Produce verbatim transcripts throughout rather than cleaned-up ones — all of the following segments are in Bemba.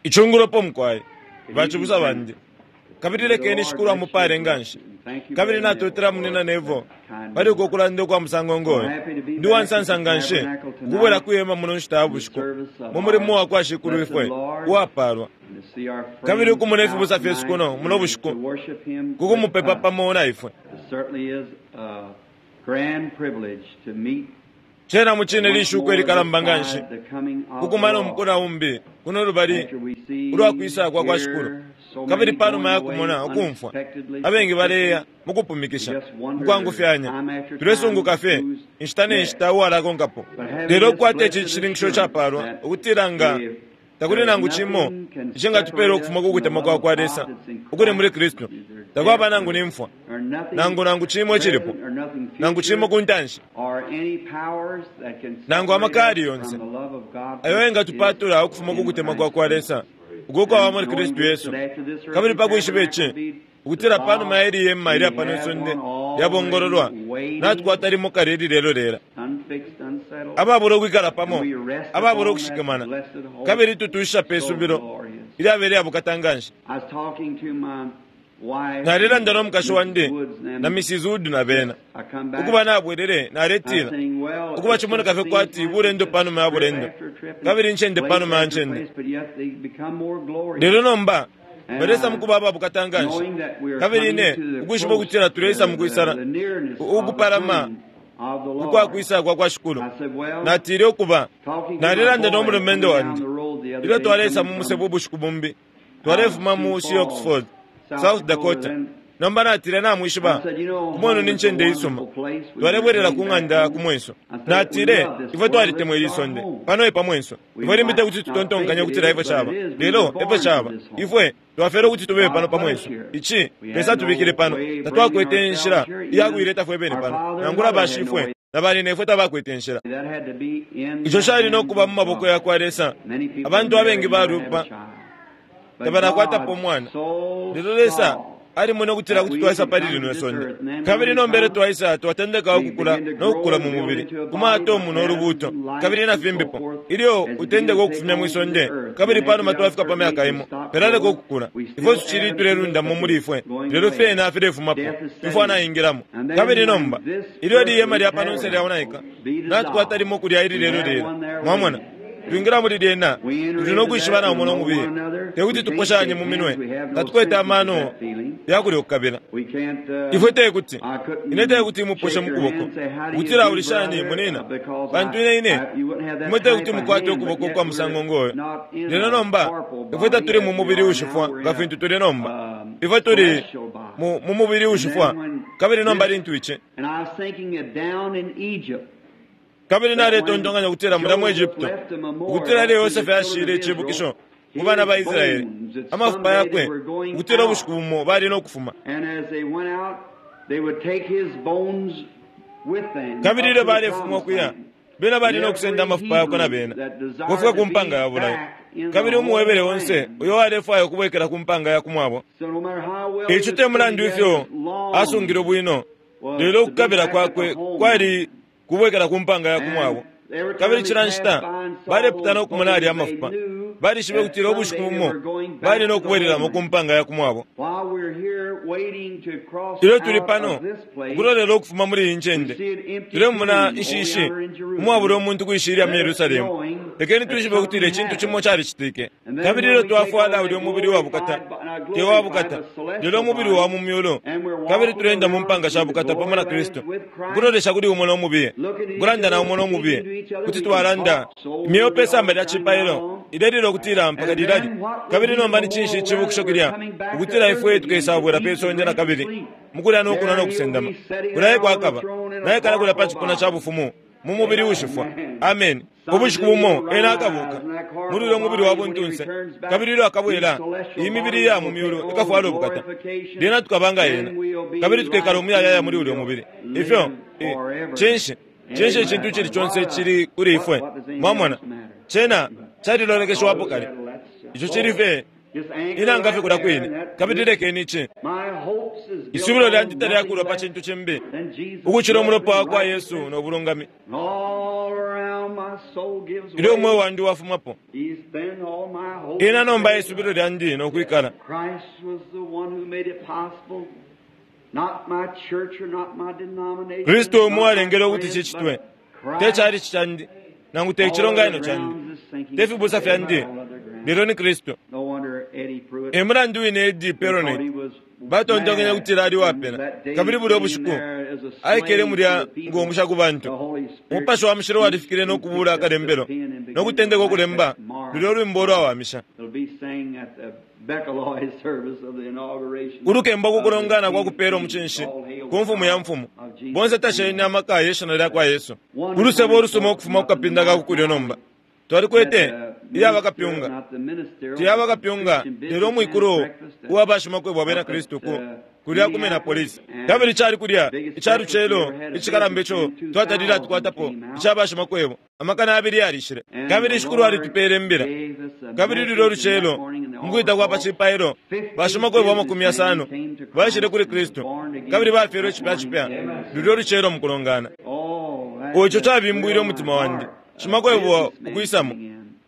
Icungulopo mukwai bacibusa bandi kabili lekeni Shikulu amupale nganshi kabili natotela munina Nevo pali uko kulanda ukwa musango ngoyo. Ndi wansansa nganshi ukubwela kuyema muno nshita ya bushiku mu mulimo wa kwa Shikulu ifwe uwapalwa kabili ukumona ifibusa fyesu kuno muno bushiku kukumupepa pamo na ifwe. Cena mucine lishuko ilikalamba nganshi kukumana umukona umbi kuno lubali ulwakwisa kwa kwa Shikulu kabili panuma ya kumona ukumfwa abengi baleya mukupumikisha mukwangufyanya tulesunguka fye inshita ne nshita uwalakonkapo. Lelo kukwata ici cishininkisho capalwa ukutila nga takuli nangu cimo icingatupela ukufuma ku kutemwa kwa kwa Lesa ukuli muli Kristu, takwaba nangu ni mfwa nangu nangu cimo icilipo nangu cimo ku ntanshi nangu amakali yonse ayo engatupatula ukufuma ku kutemwa kwa kwa Lesa uko kwaba muli Kristu Yesu. Kabili pakwishiba ici ukutila panuma ya ili yema ilya pano isonde lyabongololwa natukwata limo kale ili lelo lela ababula ukwikala pamo ababula ukushikamana kabili tutusha pe subilo ilyabele yabukata nganshi. Nalilanda no mukashi wandi na Missus Wood na bena ukuba nabwelele naletila ukuba cimoneka fye kwati bulendo panuma ya bulendo kabili ncende panuma ya ncende, lelo nomba balesa mukuba ababukata nganshi kabili ine ukwishiba ukutila tulesa mukwisala ukupalama ukwakwisa kwa kwa Shikulu. Natile ukuba nalilanda no mulumendo wandi ilyo twalesa mu musebo ubushiku bumbi twalefuma mu Sioux Falls, South Dakota. Nomba natile namwishiba kumwenu ni ncende isuma twalebwelela ku ng'anda ku mwenso. Natile ifwe twalitemwa ili sonde pano e pa mwenso ifwe limbi tekuti tutontonkanye ukutila ifwe caba, lelo ifwe caba ifwe twafele ukuti tubebe pano pa mwenso. Ici Lesa tubikile pano tatwakwete inshila iyakuileta fwe bene pano nangula bashifwe na banina ifwe tabakwete inshila. Ico cali no kuba mu maboko ya kwa Lesa. Abantu abengi balupa tabanakwatapo umwana, lelo Lesa alimwene ukutila kuti twaisa pali lino isonde kabili nombele twaisa twatendeka ukukula no kukula mu mubili kumatomu no lubuto kabili na fimbipo. Ilyo utendeka ukufumya mwisonde kabili panuma twafika pa myaka imo pelaleka ukukula ifwe tucili tulelundamo muli ifwe lelo fyena filefumapo ifwe anaingilamo. Kabili nomba ilyo liyema lya pano nse lyaonaika natukwata limo kulya ili lelo lelo mwamona twingira muli lyena tuli nokwishiba na umo no mubili tekuti tuposhanye mu minwe tatukwete amano yakulya okukabila ifwe tekuti ine tekuti muposhe mukuboko ukutila ulishani munina pantu ine ine imwe tekuti mukwate ukuboko kwa musango ngoyo. Lelo nomba ifwe tatuli mu mubili ushifwa nga fintu tuli nomba ifwe tuli mu mubili ushifwa kabili nomba lintu ici kabili naletontonkanya ukutila mulya mu Egypto ukutila ilyo Yosefe ashile icibukisho ku bana ba Israeli amafupa yakwe ukutila ubushiku bumo bali no kufuma. Kabili ilyo balefuma ukuya bena bali no kusenda amafupa yakwe na bena kufika ku mpanga ya bulayo. Kabili umuwebele onse uyo walefwaya ukubwekela ku mpanga ya kumwabo. Ico te mulandu ifyo asungile bwino, lelo ukukabila kwakwe kwali kubwekela ku mpanga ya kumwabo. Kabili cila nshita baleputana ukumona alya amafupa balishibe kutila ubushiku bumo bali no kubwelelamo ku mpanga ya kumwabo. Ilyo tuli pano ukulolela ukufuma muli iyi ncende tulemona inshishi umwabula umuntu kwishilya mu Yerusalemu. Lekeni twishibe ukutila icintu cimo calicitike. Kabili ilyo twafwala ulya umubili wa bukata te wa bukata lelo umubili wa mu myulu kabili tulenda mu mpanga sha bukata pamo na Kristu ukulolesha kuli umo no mubiye ukulanda na umo no mubiye kuti twalanda imyeo pe samba lya cipailo ilelila ukutila mpaka lilali. Kabili nomba ni cinshi icibukisho kilya ukutila ifwe tukesabwela pe sonde na kabili mukulya nokunwa nokusendama kulaye kwakaba naye kala kulya pa cipuna ca bufumu mu mubili ushifwa. Amen. Ubushiku bumo ena akabuka muli ulya mubili wa buntunse kabili ilyo akabwela iyi mibili ya mu myulu ikafwala ubukata lyena tukaba nga ena kabili tukekala umuyayaya muli ulya mubili. Ifyo cinshi cinshi icintu cili conse cili kuli ifwe mwamona cena calilolekeshwapo kale ico cili fye Inanga fye kulya kwine, kabili lekeni ici. Isubilo lyandi talyakulwa pa cintu cimbi ukucila umulopa wa kwa Yesu no bulungami. Ilyo umweo wandi wafumapo, ena nomba isubilo lyandi no kwikala. Kristu umo alengele ukuti cicitwe, te chalichi candi nangu te chilonganino candi, te fibusa fyandi, lelo ni Kristu. E mulandu wine Eddie Perronet batontonkenye kutila ali wapena, kabili bulya ubushiku aikele mulya ngomusha ku bantu. Umupashi wa mushilo walifikile no kubula akalembelo no kutendeka ukulemba lulya ulwimbo ulwawamisha ulukembo kukulongana kwa kupela omucinshi ku mfumu ya mfumu. Bonse tasheni amaka ye shina lya kwa Yesu. Ulusebo olusuma ukufuma ku kapinda ka kukulyo nomba twalikwete iya bakapyunga, tiya bakapyunga lelo omwikulu uwa bashimakwebo abena Kristu ku kulya kumena polisi. Kabili cali kulya icalucelo icikalamba ico twatalile atukwatapo ica bashimakwebo amakana abili yalishile. Kabili shikulu alitupele imbila. Kabili lulyo olucelo mukwita kwa pa cipailo bashimakwebo amakumi yasano baishile kuli Kristu, kabili bafyelwe icipya cipya lulyo olucelo mukulongana. Ico cabimbwile umutima wandi shimakwebo ukwisamo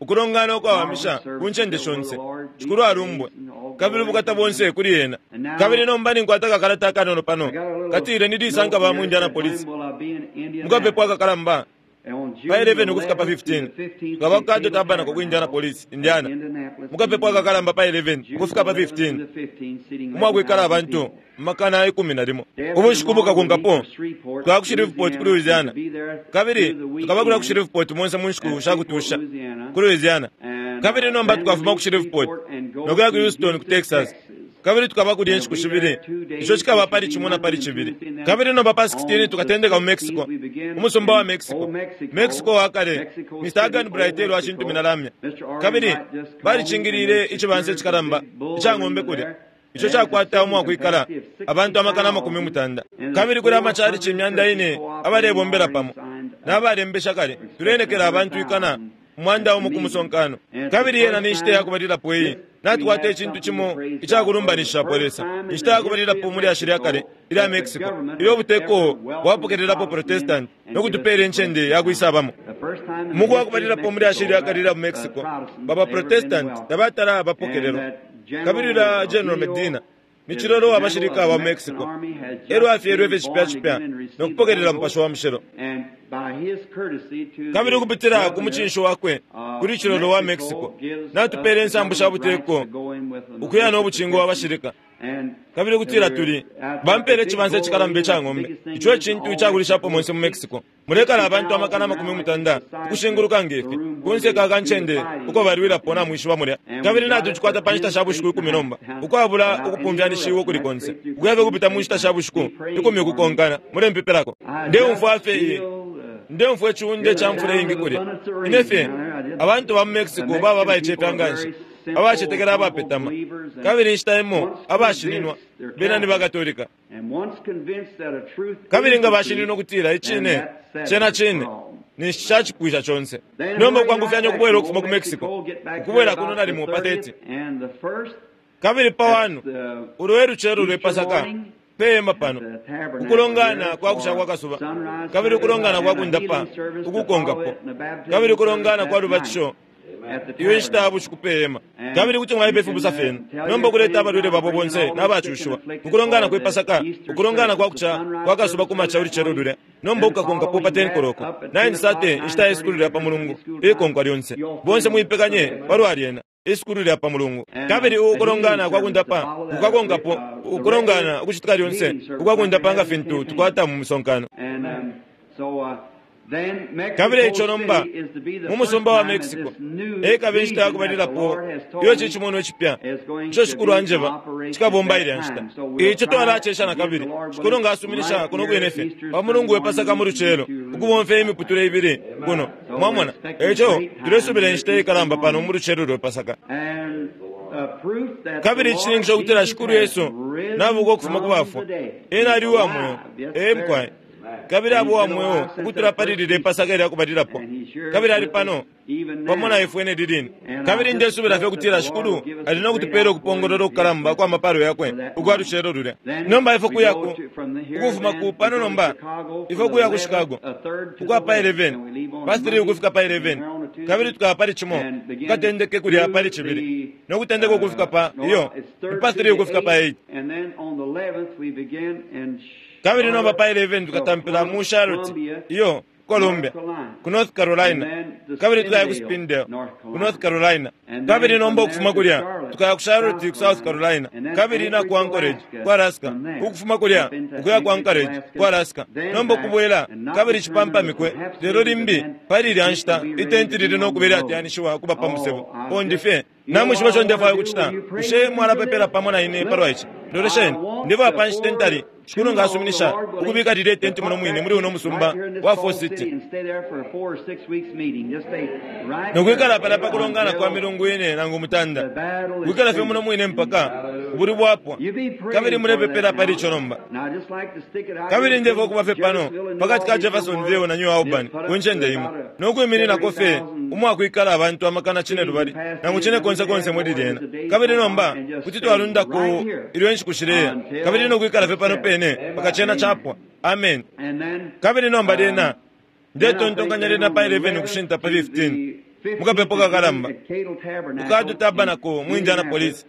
ukulongana ukwawamisha ku ncende shonse. Shikulu alumbwe, kabili ubukata bonse kuli ena. Kabili nomba ninkwata kakalata akanono pano katile nilisanka ba mu Indianapolis mukapepo akakalamba pa eleven ukufika pa fifteen tukaba ku Caddo Tabernacle ku Indianapolis, Indiana. Mukapepo akakalamba pa eleven ukufika pa fifteen umwakwikala abantu makana ikumi na limo. Ubushiku bukakonkapo twaya ku Shreveport ku Louisiana, kabili tukaba kulya ku Shreveport monse mu nshiku shakutusha ku Louisiana. Kabili nomba tukafuma ku Shreveport nokuya ku Houston ku Texas, kabili tukaba kulya inshiku shibili, ico cikaba pali cimo na pali cibili. Kabili nomba pa sixteen tukatendeka mu Mexico, umusumba wa Mexico, Mexico wa kale. Mister Agan Brightel washintumina lamya, kabili balicingilile icibansa icikalamba ica ng'ombe kulya ico cakwata umwakwikala abantu amakana amakumi mutanda. Kabili kuli amachalichi imyanda ine abalebombela pamo n'abalembesha kale. Tulenekela abantu ikana umwanda umo ku musonkano. Kabili yena ni nshita yakubalilapo iyi natukwata icintu cimo icakulumbanishapo Lesa. Inshita yakubalilapo muli lyashi lya kale ilya Mexico ilyo ubuteko bwapokelelapo Protestant no kutupela incende yakwisabamo. Muku wakubalilapo muli lyashi lya kale ilya mu Mexico, baba Protestant tabatala bapokelelwa. Kabili la General Medina ni chilolo wa bashirika ba Mexico elyo afyelwe fye cipya cipya no kupokelela mupashi wa mushilo. Kabili ukupitila ku mucinshi wakwe kuli chilolo wa Mexico natupele insambu sha buteko ukuya no bucingo wa bashirika. Kabili kutila tuli bampele icibansa icikalamba ica ng'ombe, ico ecintu icakulishapo monse mu Mexico. Mulekala abantu amakana amakumi mutanda ukushinguluka ngefi kunse ka kancende uko balwilapo namwishiba mulya. Kabili natucikwata pa nshita sha bushiku ikumi nomba ukwabula ukupumfyanishiwa ukuli konse, ukuya kupita mu nshita sha bushiku ikumi ukukonkana. Mulempepelako. Ndeumfwa fye iye, ndeumfwa iciunde ca mfula iingi kulya. Ine fye abantu ba mu Mexico baba abaicefya nganshi, abacetekela abapetama, kabili inshita imo abashininwa bena ni bakatolika. Kabili nga bashininwa ukutila icine cena cine ninshi cacipwisha conse. Nomba ukwangufyanya ukubwela ukufuma ku Mexico ukubwela kuno nalimo pa thirty. Kabili pa wanu ulwe lucelo lwe Pasaka pema pano ukulongana kwa kusha kwa kasuba, kabili ukulongana kwa kundapa ukukonkapo, kabili ukulongana kwa lubatisho iyo inshita ya bushiku pema. Kabili kuti mwaipa ifibusa fyenu nomba ukuleta abalwele babo bonse n'abacushiwa ukulongana kwe Pasaka, ukulongana kwa kucha kwa kasuba kumacha ulucelo lulya nomba ukukakonkapo pa ten koloko nine thirty inshita ye sukulu lya pa mulungu ikonkwa lyonse. Bonse muipekanye palwa lyena isukulu lya pa mulungu. Kabili ukulongana kwa kundapa kukakonkapo ukulongana ukucitika lyonse ukwakundapa nga fintu tukwata mu musonkano. Kabili ico nomba mu musumba wa Mexico ekaba inshita yakubalilapo iyo cicimono icipya ico shikulu anjeba cikabomba ilya nshita. Ico twalacesha na kabili shikulu nga asuminisha kuno kwine fye pa mulungu we Pasaka mu lucelo ukubomfya imiputule ibili kuno mwamona. Eco tulesubila inshita ikalamba pano mu lucelo lwe Pasaka. Kabili icishininkisho kutila shikulu Yesu nabuka ukufuma ku bafwa, ena ali uwa mweo. Ee mukwaye. Kabili abo wa mweo ukutula pali lilye Pasaka ilya kubalilapo. Kabili ali pano pamo na ifwe ne lilini. Kabili ndesubila fye kutila Shikulu ali no kutupela ukupongolola ukukalamba kwa mapalo yakwe ukwa lucelo lulya. Nomba ifwe kuya ku ukufuma ku pano nomba ifwe kuya ku Chicago ukwa pa eleven pa three ukufika pa eleven kabili tukaba pali cimo tukatendeke kulya pali cibili no kutendeka ukufika pa iyo pa three ukufika pa eight. Kabili nomba pa eleven tukatampila mu Charlotte iyo Columbia ku North Carolina, kabili tukaya ku Spindale ku North Carolina, kabili nomba ukufuma kulya tukaya ku Charlotte ku South Carolina, kabili na ku Anchorage ku Alaska, ukufuma kulya ukuya ku Anchorage ku Alaska, nomba ukubwela kabili cipampamikwe lelo limbi pali ilya nshita itenti lili no kuba ilyateyanishiwa kuba pa musebo pondi fye. Namwishiba ico ndefwaya ukucita? Bushe mwalapepela pamo na ine palwa ici? Lolesheni, ndefwaya pa nshita ntali Shikulu nga asuminisha ukubika lilye tenti muno mwine muli uno musumba wa Fall City nokwikala pala pa kulongana kwa milungu ine nangu mutanda, kwikala fye muno mwine mpaka ubuli bwapwa. Kabili mulepepela pali ico nomba. Kabili ndefwaya ukuba fye pano pakati ka Jeffersonville na New Albany ku ncende imo nokwimininako fye umwakwikala abantu amakana cine lubali nangu cine konse konse muli lyena. Kabili nomba kuti twalundako ilyo inshiku shileya, kabili nokwikala fye pano pene mpaka cena chapwa. Amen. Kabili nomba lyena ndetontonkanya lyena pa eleven ukushinta pa fifteen mukapepo kakalamba kukadu Tabernacle mu Indianapolis.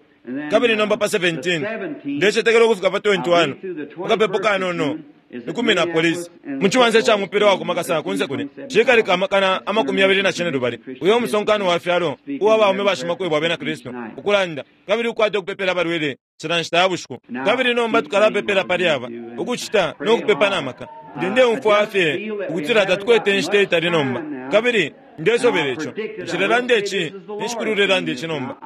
Kabili nomba pa seventeen ndecetekela ukufika pa twenty-one mukapepo kanono ikumi na polisi muchiwanse cha mupira wa kumakasa kunse kune cikalika amakana amakumi yabili na cine lubali uyo musonkano wa fyalo uwa baume bashimakwebo abena Kristu ukulanda kabili ukwate ukupepela abalwele cila nshita ya bushiku. Kabili nomba tukalapepela pali aba ukucita no kupepa na maka. Ndi ndeumfwa fye ukutila tatukwete inshita itali nomba, kabili ndesobela ico nshilelanda ici nishikululelanda ici nomba.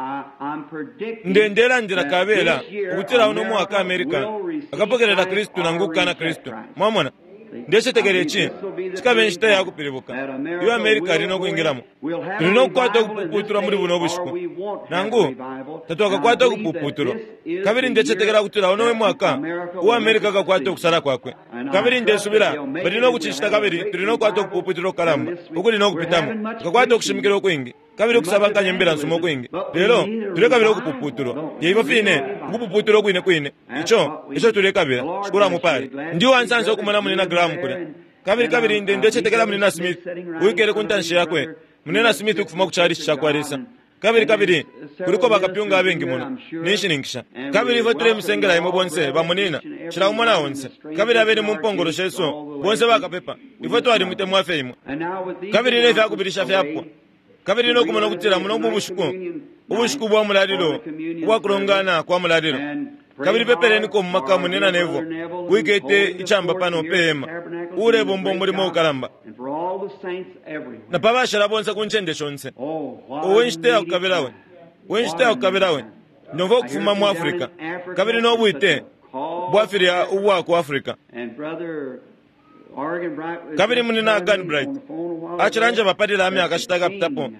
Nde ndelandila kabela ukutila uno mwaka America akapokelela Kristu nangu kukana Kristu. Mwamona, ndecetekela ici cikabe inshita ya kupilibuka iyo America ali no kwingilamo. Tuli no kukwata ukupuputulwa muli buno bushiku nangu tatwakakwata ukupuputulwa. Kabili ndecetekela kutila uno mwaka uwa America akakwata ukusala kwakwe. Kabili ndesubila bali no kucicita, kabili tuli no kukwata ukupuputulwa kukalamba ukuli no kupitamo. Tukakwata ukushimikila ukwingi kabili ukusabankanya imbila nsuma ukwingi, lelo tulekabila ukupuputulwa. Yeivo fine ukupuputulwa kwine kwine ico ico tulekabila. Shikulu amupale. Ndi uwansansa ukumona munina Graham kulya. Kabili kabili nde ndecetekela munina Smith uwikele ku ntanshi yakwe, munina Smith ukufuma ku chalichi ca kwa Lesa. Kabili kabili kuliko bakapyunga abengi muno ninshininkisha. Kabili ifwe tulemusengela imwe bonse bamunina cila umo na onse, kabili abeni mu mpongolo shesu bonse bakapepa. Ifwe twalimutemwa fye imwe. Kabili ne fyakubilisha fyapwa. Kabili nokumona ukutila muno mu bushiku ubushiku bwa mulalilo ubwa kulongana kwa mulalilo. Kabili pepeleniko mu maka munina Nevo wikete ichamba pano pe hema ulebomba umulimo ukalamba na pabashala bonse ku ncende shonse. Uwe nshita yakukabila we, we nshita yakukabila we ndomva ukufuma mu Africa kabili nobwite bwafilya ubwa ku Africa. Kabili munina Gunbright acilanja bapalila amyaka shita kapitapo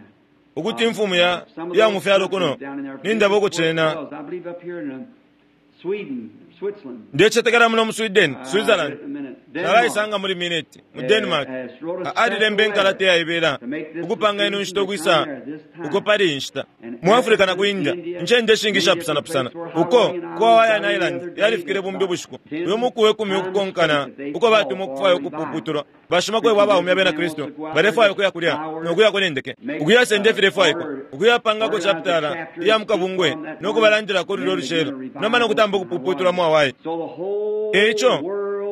ukuti imfumu ya ya mufyalo kuno nindaba ukucena ndecetekela muno mu Sweden, Switzerland nalaisanga muli minute mu Denmark alilembe nkalata yaibela ukupanga ino nshita ukwisa uko pali inshita mu Africa na ku India ncende ishingi ishapusanapusana uko ku Hawaiian Island yalifikile bumbi ubushiku uyo muku we kumi ukukonkana uko batumwa ukufwaya ukupuputulwa bashimakwebo abaume abena Kristu balefwaya ukuya kulya nokuya kunendeke ukuyasenda ifilefwaikwa ukuyapangako chapitala iya mukabungwe nokubalandilako lulyo lucelo nomba nokutamba ukupuputulwa mu Hawaii. Eico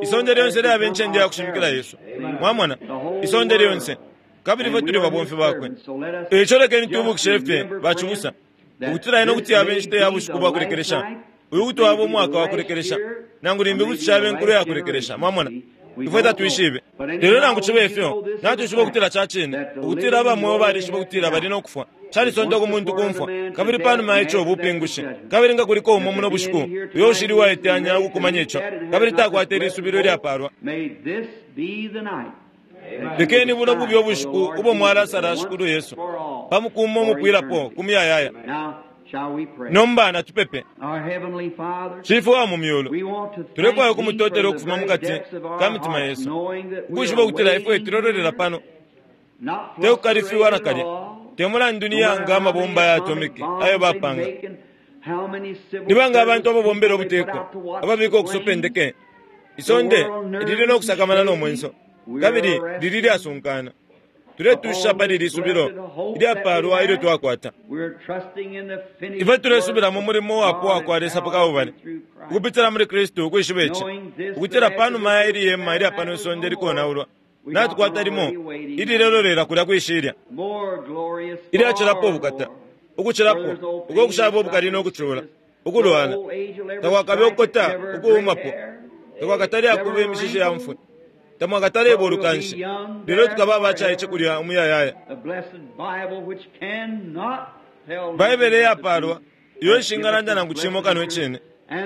isonde lyonse lyaba incende ya kushimikila Yesu. Mwamona, isonde lyonse, kabili ifwe tuli babomfi bakwe. Eico lekeni tubukishe fye bacibusa ukutila ino kuti yaba inshita ya bushiku bwa kulekelesha, uyu kuti waba umwaka wa kulekelesha, nangu limbi kuti caba inkulo ya kulekelesha. Mwamona, ifwe tatwishibe. Lelo nangu cibe ifyo natwishiba ukutila ca cine ukutila abamweo balishiba ukutila bali no kufwa. Calisonta ku muntu kumfwa, kabili panuma ico ubupingushi. Kabili nga kuliko umo muno bushiku uyo ushili waiteyanya ukukumanya ico kabili takwata ilisubilo ilyapalwa, lekeni buno bubye ubushiku ubo mwalasala Shikulu Yesu pamukuuma umupwilapo ku muyayaya. Nomba natupepe. Shifwe wa mu myulu, tulefwaya ukumutotela ukufuma mukati ka mitima yesu, ukwishiba ukutila ifwe tulololela pano, tekukalifiwa nakalya, te mulandu ni yanga amabomba ya atomiki ayo bapanga, nibanga abantu ababombela ubuteko ababika okusopa endeke. Isonde lili nokusakamana nomwenso, kabili lili lyasunkana. Tuletusha pali lisubilo ilyapalwa ilyo twakwata. Ifwe tulesubila mu mulimo wapo wakwa Lesa pakabubale, ukupitila muli Kristu, ukwishiba ici, ukutila panuma ya ili yema ilya pano isonde likonaulwa, natukwata limo ililelolela kulya kwishilya ilyacilapo ubukata, ukucilapo uko kushaba ubukali nokucula ukulwala, takwakabe ukukota ukuumapo, takwakatale akuba imishishi ya mfwe, tamwakataleba ulukanshi, lelo tukaba abacaice kulya umuyayaya. Baibele yapalwa iyo ishingalanda nangu cimo kano icine,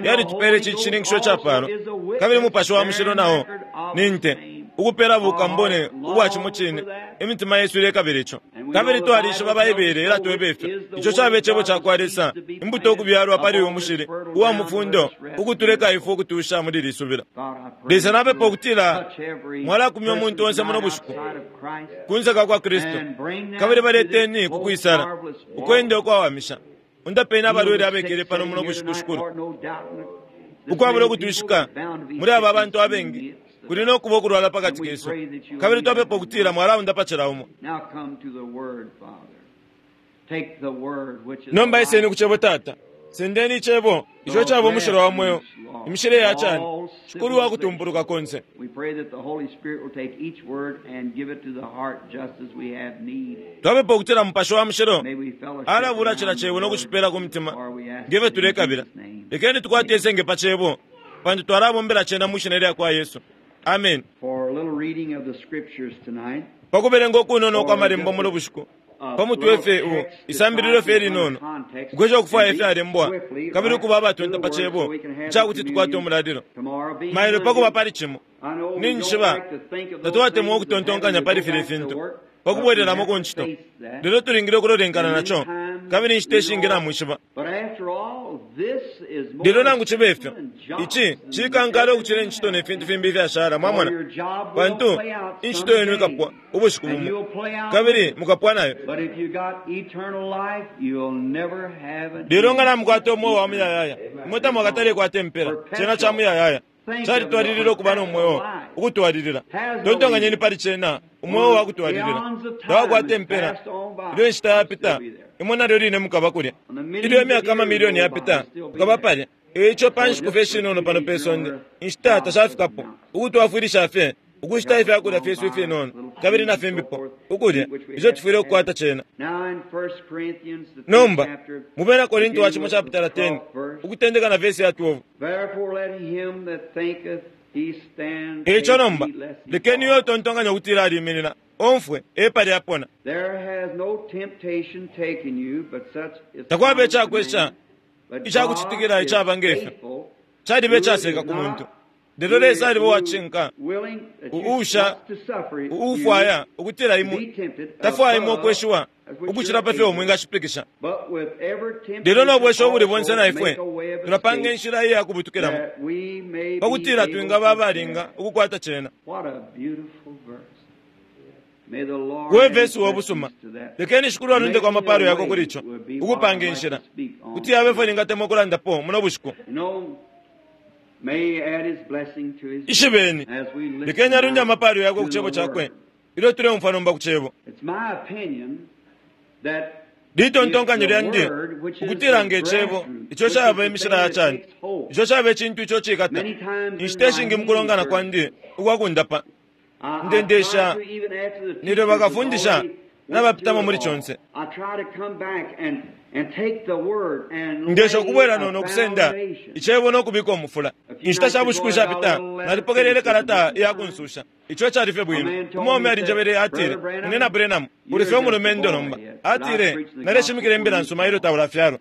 yalitupele ici cishininkisho capalwa, kabili Mupashi wa Mushilo nao ni nte ukupela bukambone ubwa cimo cine. Imitima yesu ilekabila ico, kabili twalishiba Baibele ilatweba ifyo ico caba icebo cakwa Lesa, imbuto ukubyalwa pali uyu mushili uwa mufundo, ukutuleka ifwe ukutusha muli lisubilo. Lesa napepa ukutila mwalakumya umuntu onse muno bushiku kunse ka kwa Kristu, kabili baleteni kukwisala ukwenda ukwawamisha. Undapeni abalwele abekele pano muno bushiku, Shikulu, ukwabula ukutushika muli aba bantu abengi kuli nokuba ukulwala pakati kesu, kabili twapepa ukutila mwalaundapa cila umo. Nomba iseni ku cebo, Tata. Sendeni icebo ico caba umushilo wa mweo, imishile ya cani, Shikulu wa kutumpuluka konse. Twapepa ukutila Mupashi wa Mushilo alabula cila cebo nokucipela ku mitima ngefyo tulekabila. Lekeni tukwate isenge pa cebo, pantu twalabombela cena mu shina lya kwa Yesu. Amen. Pakubelenga ukunono kwa malembo muno bushiku, pamutwe fye u isambililo fye linono, ukwesha ukufwaya ifyalembwa kabili ukuba abatonta pa cebo icakuti tukwate umulalilo mailo pakuba pali cimo. Ninjishiba tatwatemwa ukutontonkanya pali filya fintu pakubwelelamo ku ncito, lelo tulingile ukulolenkana naco, kabili inshita ishingi namwishiba. Lelo nangu cibe ifyo, ici cikankala ukucila incito ne fintu fimbi ifyashala, mwamona, pantu incito yenu ikapwa ubushiku bumo, kabili mukapwa nayo. Lelo nga namukwata umweo wa muyayaya, imwe tamwakatale kwata impela, cena ca muyayaya calitwalilila ukuba nomweo ukutwalilila. Tontonkanyeni pali cena, umweo wa kutwalilila tawakwata impela. Ilyo inshita yapita, imwe nalyo line mukaba kulya. Ilyo imyaka amamilioni yapita, mukaba palya. Eico pa nshiku fye shinono pano pe sonde, inshita tashafikapo ukutwafwilisha fye ukushita ifyakulya fyesu ifinono kabili na fimbipo ukulya ico tufwile ukukwata cena. Nomba mu Bena Korinto wa cimo chapitala ten, ukutendeka na vesi ya twelve. Eico nomba lekeni uyo utontonkanya ukutila aliminina omfwe epali apona. Takwaba icakwesha icakucitikila icaba ngefyo, caliba icaseka ku muntu. Lelo Lesa aliba uwacinka, uusha uufwaya ukutila imwe tafwaya imwe ukweshiwa ukucila pa fyo mwingashipikisha. Lelo nobwesha ubuli bonse na ifwe tulapanga inshila iya kubutukilamo pakutila twingaba abalinga ukukwata cena. We vesi wobusuma, lekeni Shikulu alundeko amapalo yako kuli ico, ukupanga inshila kuti yabe fwe ningatemwa ukulandapo muno bushiku. Ishibeni, lekeni alunde amapalo yako ku cebo cakwe ilyo tuleumfwa nomba ku cebo. Litontonkanyo lyandi ukutila nge cebo ico caba imishila ya cani, ico caba icintu ico cikata inshita ishingi mukulongana kwandi ukwakundapa ndendesha nilyo bakafundisha nabapitamo muli conse. Ndesha ukubwela nono kusenda icebo nokubika umufula. Inshita sha bushiku ishapita nalipokelele kalata iyakunsusha. Ico cali fye bwino. Umwaume alinjebele, atile, "Munena Branham, uli fye umulumendo nomba." Atile, "Naleshimikila imbila nsuma ilyo taulafyalwa."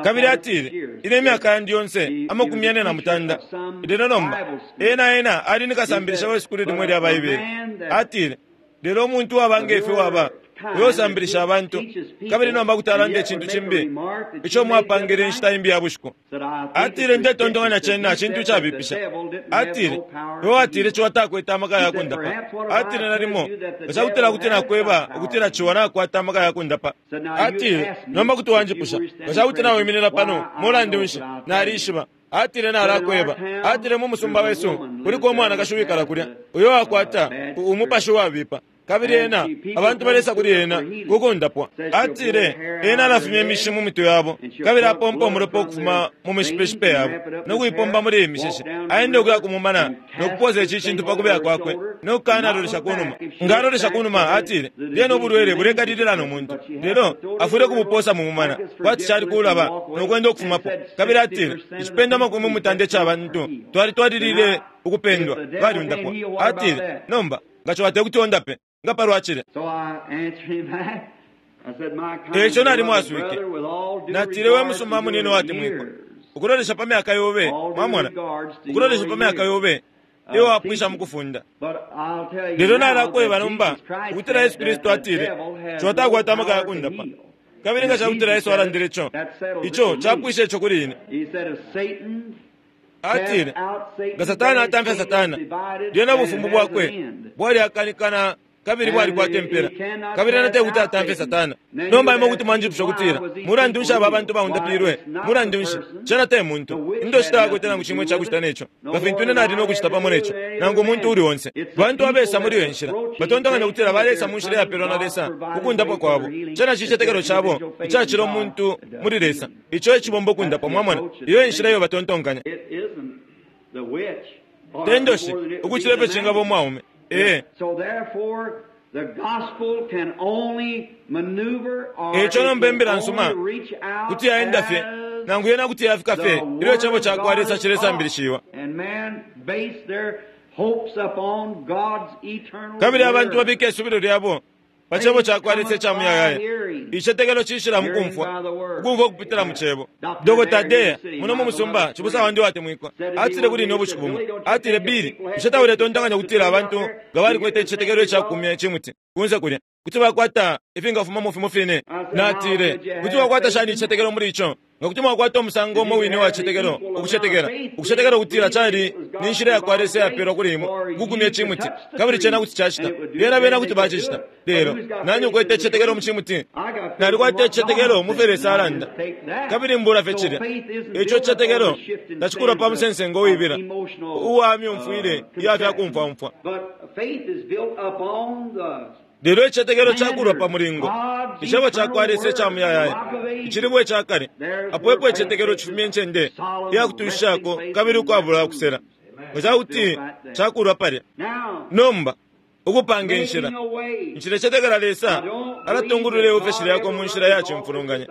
Kabili atile, "Ine imyaka yandi yonse amakumi yane na mutanda. Lelo nomba ena ena ali ni kasambilisha we sukulu limwe lya Baibele." Atile, "Lelo umuntu waba ngefe waba Uyo usambilisha abantu, kabili nomba kuti alanda icintu cimbi ico mwapangile inshita imbi ya bushiku. Atile, ndetontonkanya cena cintu cabipisha. Atile, iwe watile ciwa takwete amaka ya kundapa. Atile, nalimo nga cakutila kuti nakweba ukutila ciwa nakwata amaka ya kundapa. Atile, nomba kuti wanjipusha nga cakuti nawiminina pano, mulandu nshi, nalishiba. Atile, nalakweba. Atile, mu musumba wesu kuliko umwanakashi wikala kulya uyo wakwata umupashi wabipa, kabili ena abantu balesa kuli ena kukundapwa. Atile, ena alafumya imishi mu mitwe yabo, kabili apompa umulopa ukufuma mu mishipeshipe yabo no kuipomba muli iyi mishishi. Aenda ukuya kumumana no kupoza ici cintu pa kubeya kwakwe no kukanalolesha kunuma. Nga alolesha kunuma, atile, lyena ubulwele bulekalilila no muntu, lelo afwile kubuposa mu mumana kwati cali kulaba no kwenda ukufumapo. Kabili atile, icipendo amakumi mutanda ica bantu twalitwalilile ukupendwa baliundapwa. Atile, nomba nga ciwa tekuti ondape nga palwacile. Eico nalimwaswike, natile, we musumba munene watemwikwa, ukulolesha pa myaka yobe, mwamona, ukulolesha pa myaka yobe iwe wapwisha mukufunda. Lelo nalakweba nomba ukutila Yesu Kristu atile ciwa takwata amaka ya kundapa, kabili nga cakutila Yesu alandile ico, ico capwisha ico kuli ine. Atile, nga Satana atamfya Satana, lyena ubufumu bwakwe bwaliakanikana kabili bwalikwata impela, kabili ena tekuti atamfye Satana. Nomba imwe kuti mwanjipusha ukutila, mulandu nshi aba abantu baundapilwe? Mulandu nshi? Cena te muntu. Indoshi tayakwete nangu cimwe icakucita neco, nga fintu ine nali nokucita pamo neco, nangu umuntu uli onse. Bantu abesa muli iyo nshila batontonkanya ukutila balesa mu nshila iyapelwa na Lesa kukundapwa kwabo. Cena cicetekelo cabo icacila umuntu muli Lesa, ico ecibomba ukundapwa. Mwamona, iyo enshila iyo batontonkanya. Te ndoshi ukucila ifyo cingaba umwaume. Eh. Eico nomba imbila nsuma kuti yaenda fye nangu yena kuti yafika fye ilyo icebo ca kwa Lesa cilesambilishiwa. Kabili abantu babika isubilo lyabo pa cebo ca kwa Lesa ica muyayaya. Icetekelo cishila mu kumfwa, ukumfwa ukupitila mu cebo. Dokota Deya muno mu musumba, cibusa wandi watemwikwa, atile kuli ine ubushiku bumo, atile, Bili, bushe tauletontonkanya ukutila abantu nga balikwete icicetekelo icakumya icimuti kunse kulya kuti bakwata ifingafumamo fimo fine? Natile, kuti bakwata shani icicetekelo muli ico? Nga kuti mwakwata umusango umo wine wa cicetekelo, ukucetekela ukucetekela ukutila cali ni nshila ya kwa Lesa iyapelwa kuli imwe ukukumya icimuti, kabili cena kuti cacita. Lyena bena kuti bacicita. Lelo nani ukwete icicetekelo mu cimuti? Nalikwata icicetekelo mu fyo Lesa alanda, kabili mbula fye cilya. Ico cicetekelo tacikulwa pa musensengo uwibila uwa myumfwile iya fya kumfwamfwa. Lelo icicetekelo cakulwa pa mulingo, icebo ca kwa Lesa ica muyayaya, icilibwe ica kale. Apo epo icicetekelo cifumya incende iyakutushishako kabili ukwabula ukusela, nga cakuti cakulwa palya. Nomba ukupanga inshila, nshilecetekela Lesa alatungulula iofeshi lyakwe mu nshila ya cimfulunganya.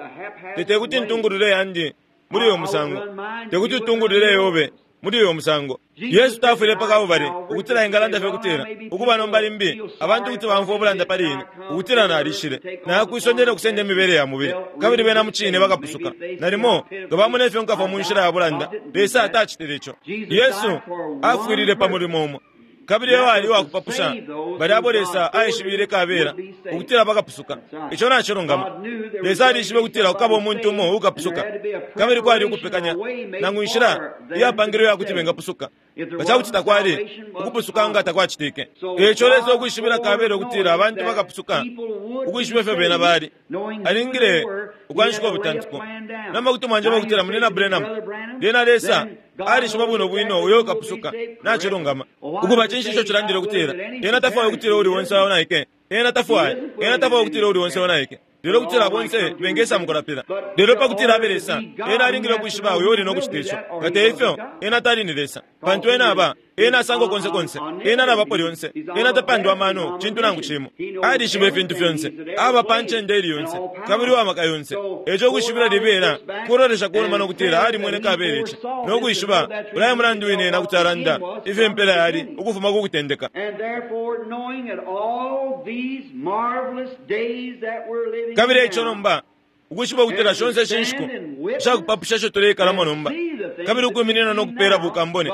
Tekuti ntungulule yandi muli uyo musango, tekuti utungulule yobe muli uyo musango. Yesu tafwile pa Kalbale ukutila engalanda fye ukutila ukuba nomba limbi abantu kuti bamfwa ubulanda pali ine ukutila nalishile nakwisondela ukusenda imibele ya mubili, kabili bena mu cine bakapusuka. Nalimo nga bamona ifyo nkafwa mu nshila ya bulanda. Lesa atacitile ico. Yesu afwilile pa mulimo umo, kabili eyo ali uwakupapusha bali abo Lesa aishibile kabela ukutila bakapusuka. Ico nacilungama. Lesa alishibe ukutila kukaba umuntu umo ukapusuka, kabili kwali ukupekanya nangu inshila iyapangilwe yakuti bengapusuka. Nga cakuti takwali ukupusuka nga takwacitike. Eico Lesa ukwishibila kabela ukutila abantu bakapusuka, ukwishiba ifyo bena bali, alingile ukwanshika ubutantiko. Nomba kuti mwanjeba ukutila munina Branham, lyena Lesa alishiba bwino bwino uyo ukapusuka. Nacilungama. Ukuba cinshi ico cilandile ukutila ena tafwaya ukutila uli onse aonaike? Ena tafwaya, ena tafwaya ukutila uli onse aonaike, lelo kutila bonse bengesa mukulapila. Lelo pa kutila abe Lesa, ena alingile ukwishiba uyo uli nokucita ico. Nga te ifyo, ena tali ni Lesa, pantu ena aba ena asangwa konse konse, ena alabapo lyonse, ena tapandwa amano cintu nangu cimo. Alishiba ifintu fyonse, aba pa ncende ili yonse, kabili uwa maka yonse. Eco ukwishibila libela kulolesha kunuma nokutila alimwene kabela ici nokwishiba ulaya mulandu wine ena kuti alanda ifyo impela yali ukufuma ku kutendeka. Kabili eico nomba ukwishiba ukutila shonse ishi nshiku ishakupapusha isho tuleikalamo nomba, kabili ukwiminina no kupela bukambone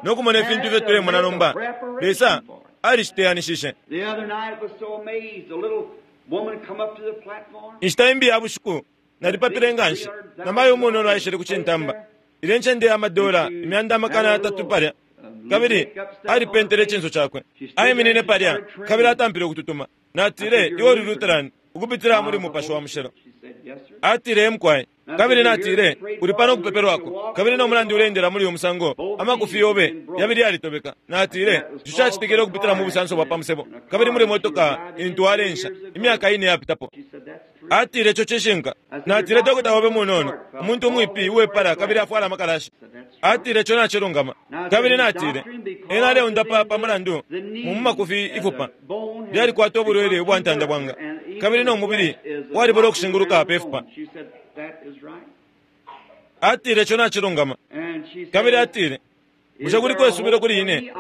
no kumona ifintu ifyo tulemona nomba, Lesa aliciteyanishishe. Inshita imbi ya bushiku nalipapile nganshi namayo umunono aishile kucintamba ile ncende ya madola imyanda amakana yatatu palya kabili alipentele icinso cakwe aiminine palya kabili atampile ukututuma. Natile, iwe uli Lutheran ukupitila muli Mupashi wa Mushilo. Atile, emkwai. Kabili natile, uli pano kupepelwako kabili no mulandu ulendela muli uyu musango amakufi yobe yabili yalitobeka. Natile, ico cacitikile ukupitila mu busanso bwa pamusebo kabili muli motoka intu alensha imyaka ine yapitapo. Atile, ico cishinka. Natile, dokota wobe munono umuntu umwipi uwepala kabili afwala amakalashi. Atile, ico nacilungama. Kabili natile, ena aleundapa pa mulandu mu makufi ifupa lyalikwata ubulwele ubwa ntanda bwanga kabili no mubili walibola okushinguluka pe fupa. Atile, ico nacilungama. Kabili atile, bushe kuliko isubilo kuli ine?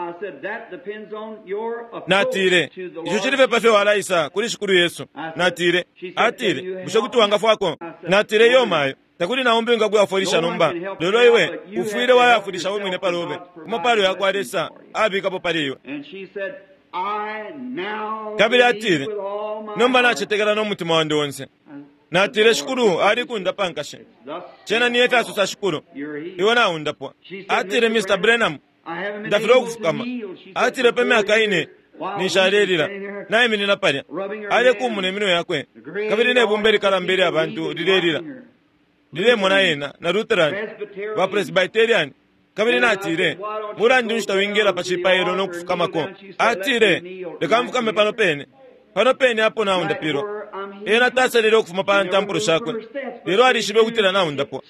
Natile, ico cili fye pafyo walaisa kuli Shikulu Yesu. Natile, atile, bushe kuti wangafwako? Natile, iyo mayo takuli naumbi ngakuyafwilisha nomba, lelo iwe ufwile wayafwilisha we mwine palobe kumapalo yakwa Lesa abikapo pali iwe. Kabili atile, nomba nacetekela no mutima wandi onse. Natile, Shikulu alikundapa nkashe. Cena niye fyasosa Shikulu, iwe naundapwa. Atile, Mister Branham, ndafilwa ukufukama. Atile, pa myaka ine nishalelila naiminina palya alekumuna iminwe yakwe kabili nebumba likalamba ilya bantu lilelila lilemona yena na Lutheran ba Presbyterian. Kabili natile, mulandu nshi tawingela pa cipailo no kufukamako? Atile, leka mfukame pano pene pano pene apo naundapilwa. Ena tasalile ukufuma pa ntampulo shakwe, lelo alishibe ukutila naundapwa.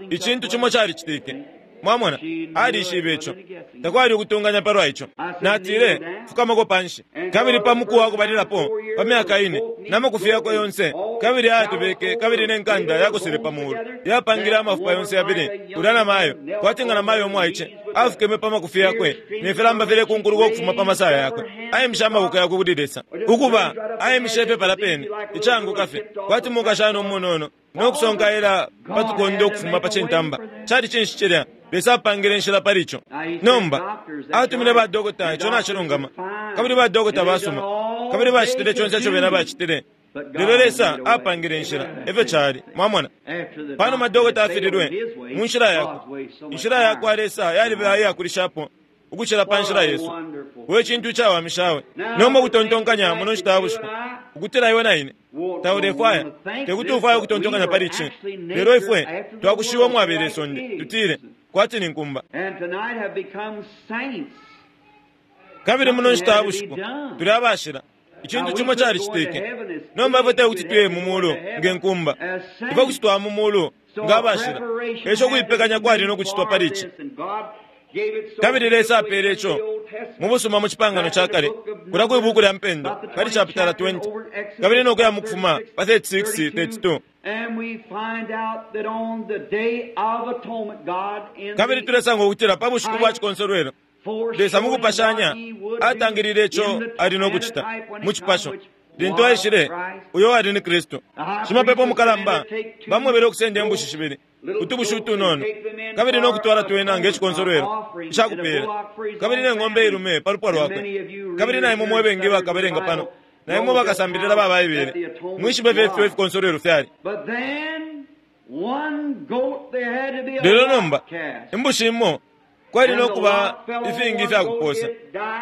Icintu cimo calicitike. Mwamona, alishibe ico. Takwali ukutunganya palwa ico. Natile, fukamako panshi. Kabili pa muku wakubalilapo pa myaka ine namakufi yakwe yonse kabili ayatobeke kabili nenkanda yakosele pa mulu yapangile amafupa yonse yabili ulya namayo kwati nga namayo omwaice afukeme pa makufi yakwe nefilamba filekunkuluka ukufuma pa masaya yakwe. Ayemisha amaboko yakwe kuli Lesa ukuba ayemisha ipepala pene icanguka fye kwati mukashana umunono nokusonkaela patukonde ukufuma pa cintamba. Cali cinshi cilya? Lesa apangile inshila pali ico. Nomba atumile badokota, ico nacilungama, kabili badokota basuma kabili bacitile conse ico bena bacitile, lelo Lesa apangile inshila. Efyo cali. Mwamona, panuma dokota afililwe mu nshila yakwe, inshila yakwa Lesa yaliba iyakulishapo ukucila pa nshila yesu. We cintu icawamishawe. Nomba ukutontonkanya muno nshita ya bushiku ukutila iwe na ine taulefwaya tekuti ufwaye ukutontonkanya pali ici, lelo ifwe twakushiwa umwabele isonde tutile kwati ni nkumba. Kabili muno nshita ya bushiku tuli abashila. Icintu cimo calicitike. Nomba ifwe tekuti tuye mu mulu nge nkumba, ifwe kuti twaya mu mulu nga abashila. Eco kuipekanya kwali no kucitwa pali ici. Kabili Lesa apele ico mu busuma mu cipangano ca kale kulya kwi buku lya mpendo pali chapitala twenty kabili nokuya mukufuma pa thirty-six thirty-two. Kabili tulesanga ukutila pa bushiku bwa cikonsolwelo Lesa mukupashanya atangilile ico ali nokucita mu cipasho lintu aishile uyo ali ni Kristu. Shimapepo mukalamba bamwebele ukusenda imbushi shibili utubushi utunono kabili nokutwala twena nge cikonsolwelo icakupela kabili ne ng'ombe ilume pa lupwa lwakwe. Kabili naimwe mwebengi bakabelenga pano naimwe bakasambilila ba Baibele mwishibe fye ifikonsolwelo fyali. Lelo nomba imbushi imo kwali nokuba ifingi ifyakuposa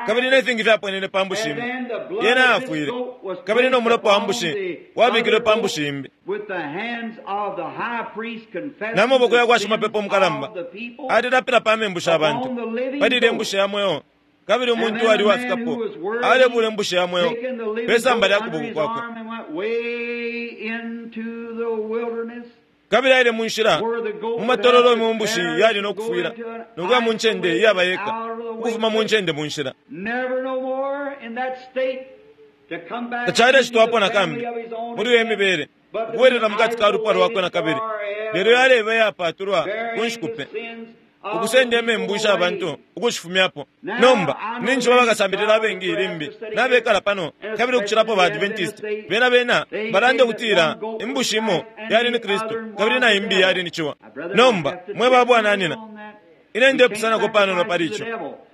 kabili nefingi fyaponene pa mbushi imo, yena afwile kabili nomulopa wa mbushi wabikilwe pa mbushi imbi. Namaboko yakwa shimapepo mukalamba alilapila pa membu sha bantu palile imbushi ya mweo, kabili umuntu ali wafikapo alebula imbushi ya mweo pe samba lya kuboko kwakwe. Kabili aile munshila mu matololo mu mbushi yali nokufwila nokuya mu ncende iyaba yeka ukufuma mu ncende mu nshila. Tacalecitwapo nakambi muli uyo mibele ukubwelela mukati ka lupwa lwakwe nakabili, lelo yaleba iyapatulwa ku nshiku pe ukusenda imembu sha bantu ukushifumyapo. Nomba ninshi bakasambilila abengi limbi nabekala pano kabili ukucilapo ba Adventist bena bena balanda ukutila imbushi imo yali ni Kristu kabili na imbi yali ni ciwa. Nomba mwe babwananina ine ndepusanako panono pali ico.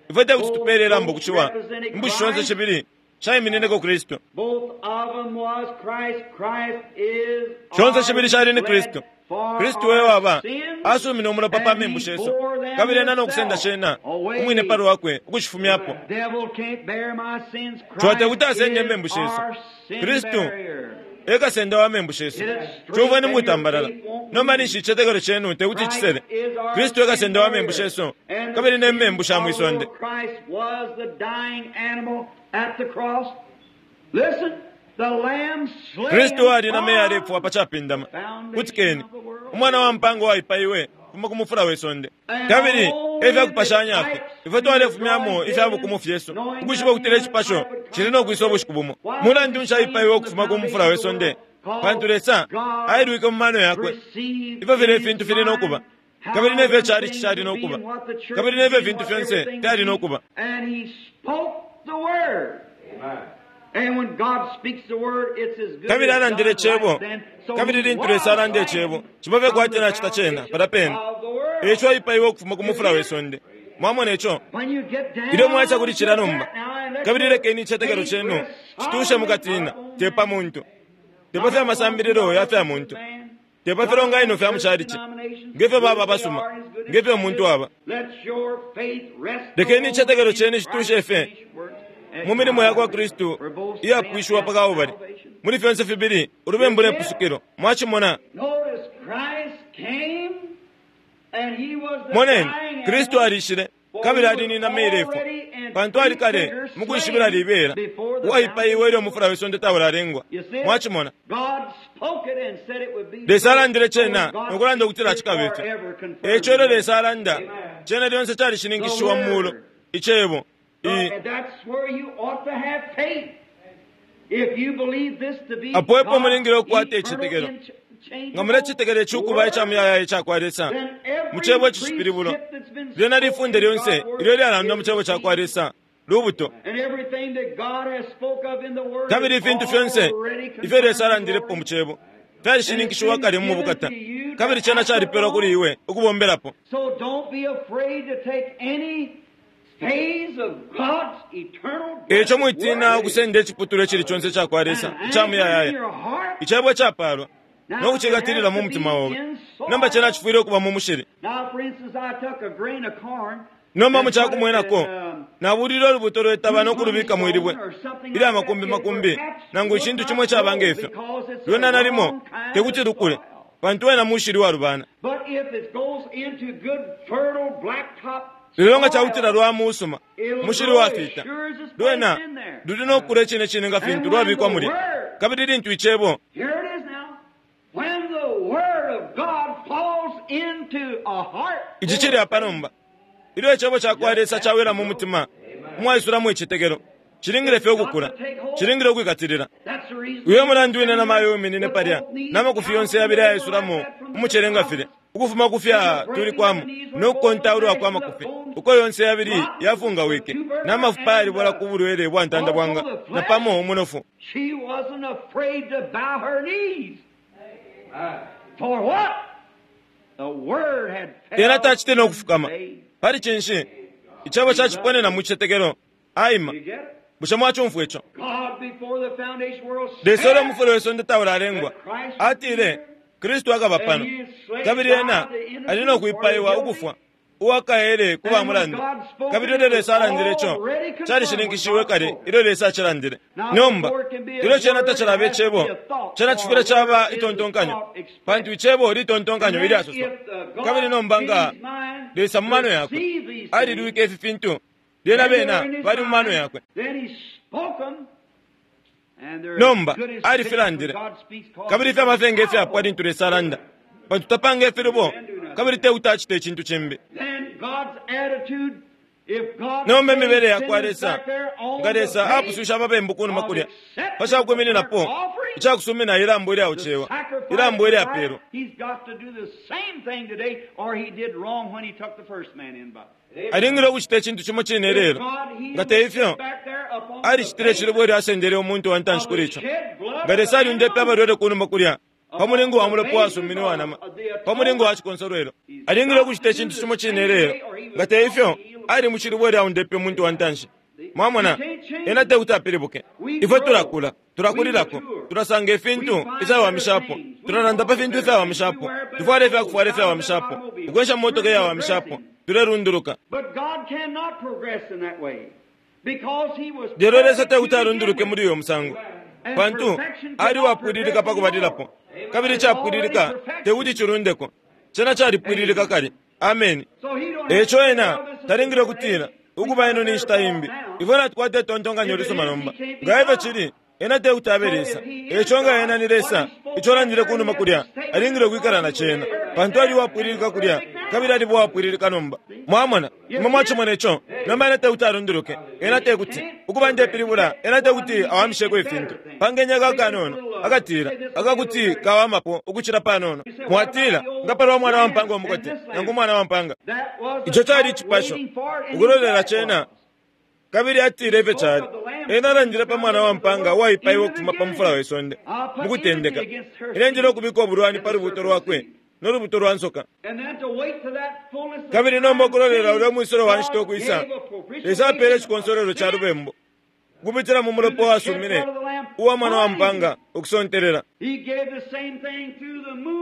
Ifwe tekuti tupele ilambo kuciwa. Imbushi shonse shibili shaiminineko Kristu. Both of them was Christ. Christ is Shonse shibili shali ni Kristu. for Kristu we waba our sins, asumine umulopa pa and membu he shesu bore them kabili ena nokusenda himself shena away. umwine pali wakwe ukushifumyapo. The devil can't bear my sins. Twate Christ kuti asende is membu shesu. our sin Kristu barrier. ekasenda wa membu shesu. Chumveni mukutambalala. Nomba ninshi ichicetekelo chenu tekuti chisele. Christ is our Kristu ekasenda wa sin membu barrier. shesu And kabili the ne membu sin sha of mwisonde. Christ was the dying animal at the cross. Listen, the lamb slain Kristu ali na meya from alefwa pa chapindama. foundation Kutikeni of the world. umwana wa mpango waipaiwe kufuma ku mufula we sonde. And Kabili all efyakupashanya the fye types ifwe twalefumyamo we ifya bukumu fyesu knowing ukwishiba ukutila that icipasho the type cili no kwisa ubushiku bumo. Why Mulandu nshi aipaiwe ukufuma ku the mufula we sonde? Pantu Lesa ailwike mu mano yakwe perceived ifyo file in ifintu his fili no mind kuba how kabili nefyo cali things cali no would be kuba and what the church kabili nefyo would be fintu and what fyonse everything fyali would no be. kuba. And he spoke the word. And when God speaks the word, it's as good Kabili as alandile done icebo right then. So kabili he lintu was Lesa alanda slain icebo cibabe from kwati the nacita cena foundation pala pene. of the world. Eco aipaiwe ukufuma ku mufula we sonde. Mwamona ico? When you get down Ilyo mwaisa kuli cila to nomba that now, and let kabili your lekeni ichicetekelo faith chenu rest chitushe solidly mukatina upon te pa man. muntu te pa fya masambililo ya fya muntu te pa filonganino fya muchalichi ngefyo baba abasuma ngefyo umuntu aba. Lekeni ichicetekelo chenu chitushe fye mu milimo ya kwa Kristu iyapwishiwa pa Kalbale muli fyonse fibili ulubembu ne pusukilo. Mwachimona? Moneni Kristu alishile kabili alinina meilefwa pantu ali kale mukwishibila libela uwaipaiwe ilyo umufula we sonde taulalengwa. Mwachimona? Lesa alandile cena nokulanda ukutila chikabe ifyo. Eco ilyo Lesa alanda cena lyonse calishininkishiwa mu muulu icebo i That's where you ought to have faith. If you believe this to be apo epo God's mulingile okukwata eternal, ichicetekelo. unchangeable Nga mulecitekela icukuba ica muyayaya icakwa Lesa then every mu cebo icishipilibulo precept that's been lyena spoken lifunde in lyonse God's word ilyo lyalandwa mu is cebo cakwa the Lesa lubuto. And everything that God has spoke of in the word Kabili is ifintu fyonse already ifyo confirmed Lesa in alandilepo glory. mu cebo fyalishininkishiwa kale mu bukata kabili cena calipelwa kuli iwe ukubombelapo. So don't be afraid to take any phase of God's eternal Eco mwitina word ukusenda iciputulwa icili conse icakwa Lesa and ica anchor in muyayaya your heart. icebo icapalwa Now, no kucikatilila it mu has to mutima be obe. in soil. Nomba cena cifwile ukuba mu mushili. Now, for instance, I took a grain of corn Nomba and mu put it in, cakumwenako um, nabulile ulubuto lwetaba two no kulubika mwilibwe honey stone or something ilya like that. makumbi It makumbi perhaps nangu would icintu not cimo icaba grow ngefyo because it's a lwena nalimo wrong kind tekuti of lukule soil. pantu wena mushili walubana. But if it goes into good fertile blacktop Lelo nga cakutila soil, lwa musuma it'll mushili grow as wafita sure as it's placed lwena in there. luli nokukula icine cine nga fintu And when lwabikwa the mulya. word, Kabili lintu icebo here it is now, when the word of God falls into a heart ici full cili of apa faith, nomba ilyo icebo cakwa just Lesa has to cawela mu grow. mutima umwaisulamo icicetekelo cilingile It's fye got ukukula to take hold. cilingile ukwikatilila. That's the reason Uyo you mulandu wine stand na mayo here uminine with palya both knees n'amakufi yonse down yabili and over like ayaisulamo that from the umucele nga filya prophets, ukufuma ku and the fya breaking of the tulikwamo knees were no both kukontaulwa the kwa flesh and the makufi bones uko yonse yabili rotten, the yafungawike tubercle n'amafupa and yalibola the ku bulwele bwa ntanda also bwanga the na flesh. pamo umunofu. She wasn't afraid to bow her knees. For what? The word had Ena fell tacitile in nokufukama faith. pali cinshi icebo caciponena mu cicetekelo aima. You get it? Bushe mwacumfwa ico? God before the foundation world Lesa ulyo said mufula we sonde taulalengwa that Christ would be atile here, Kristu akaba and pano he is slain kabili by ena the ali innocent no or the kwipaiwa guilty. ukufwa uwakaele ku ba And when mulandu. God spoke Kabili it, ilyo it was Lesa alandile ico already confirmed when calishininkishiwe God kale spoke it. ilyo Lesa acilandile. Now, Nomba before it can be a ilyo cena word, it tacilaba has to be icebo a thought, cena for cifwile a caba word is a itontonkanyo thought pantu expressed. icebo And litontonkanyo then ilyasoswa. if the Kabili God nomba in nga his mind Lesa mu mano yakwe perceived these things, alilwike ifi fintu lyena then they were bena in his bali mu mano mind, yakwe. then he spoke them, and they're as Nomba good as finished when alifilandile God speaks, cause kabili it's ifya mafenge ifyapwa powerful. lintu Lesa alanda pantu tapanga ifilubo Man do nothing. kabili te acita icintu cimbi. Then God's attitude, if God Nomba saves imibele yakwa sinners Lesa back there on nga the Lesa base apususha ababembu kunuma of kulya accepting the burnt pacakumininako offering, icakusumina ilambo the ilyaucewa sacrifice ilambo of Christ, ilyapelwa. he's got to do the same thing today, or he did wrong when he took the first man in by. Alingile ukucita icintu cimo cine If lelo God healed nga the te sick ifyo back there upon the alicitile basis icilubo ilyo asendele umuntu wa ntanshi of kuli the ico. shed blood Nga of Lesa the alyundepe animal, abalwele kunuma kulya pa upon mulingo wa the mulopa basis wasumine wa of nama the pa mulingo wa atonement, cikonsolwelo he's alingile got ukucita to do icintu the cimo cine same lelo today, or he nga was te wrong ifyo to heal the ali mu cilubo ilyo aundepe umuntu wa ntanshi. See? Mwamona, ena tekuti apilibuke. Ifwe tulakula, tulakulilako, tulasanga ifintu ifyawamishapo, tulalanda pa fintu ifyawamishapo, tufwala ifyakufwala ifyawamishapo, ukwensha motoka iyawamishapo, tulerunduluka. Lelo Lesa tekuti alunduluke muli uyo musango, pantu ali wapwililika pakubalilapo, kabili icapwililika tekuti cilundeko. Cena calipwililika kale. Ameni. Eco ena talingile ukutila ukuba ino ni nshita imbi. Ifwe natukwata itontonkanyo lisuma nomba. Nga ifyo cili, ena tekuti abe Lesa. Eco nga ena ni Lesa, ico alandile kunuma kulya, alingile ukwikala na cena, pantu ali uwapwililika kulya, kabili aliba uwapwililika nomba. Mwamona, imwe mwacimona ico. Nomba ena tekuti alunduluke. Ena tekuti ukuba ndepilibula, ena tekuti awamisheko ifintu. Pangeni akakanono akatila akakuti kawamapo ukucila panono. Mwatila nga palwa mwana wa mpanga umukote nangu umwana wa mpanga. Ico cali icipasho ukulolela cena, kabili atile ifyo cali. Ena alandile pa mwana wa mpanga uwaipaiwe ukufuma pa mufula we sonde mukutendeka. Ine njile ukubika ubulwani pa lubuto lwakwe no lubuto lwa nsoka. Kabili nomba ukulolela ulya mwisolo wa nshita ukwisa, Lesa apele icikonsolelo ca lubembu kupitila mu mulopa uwasumine uwa mwana wa mpanga ukusontelela.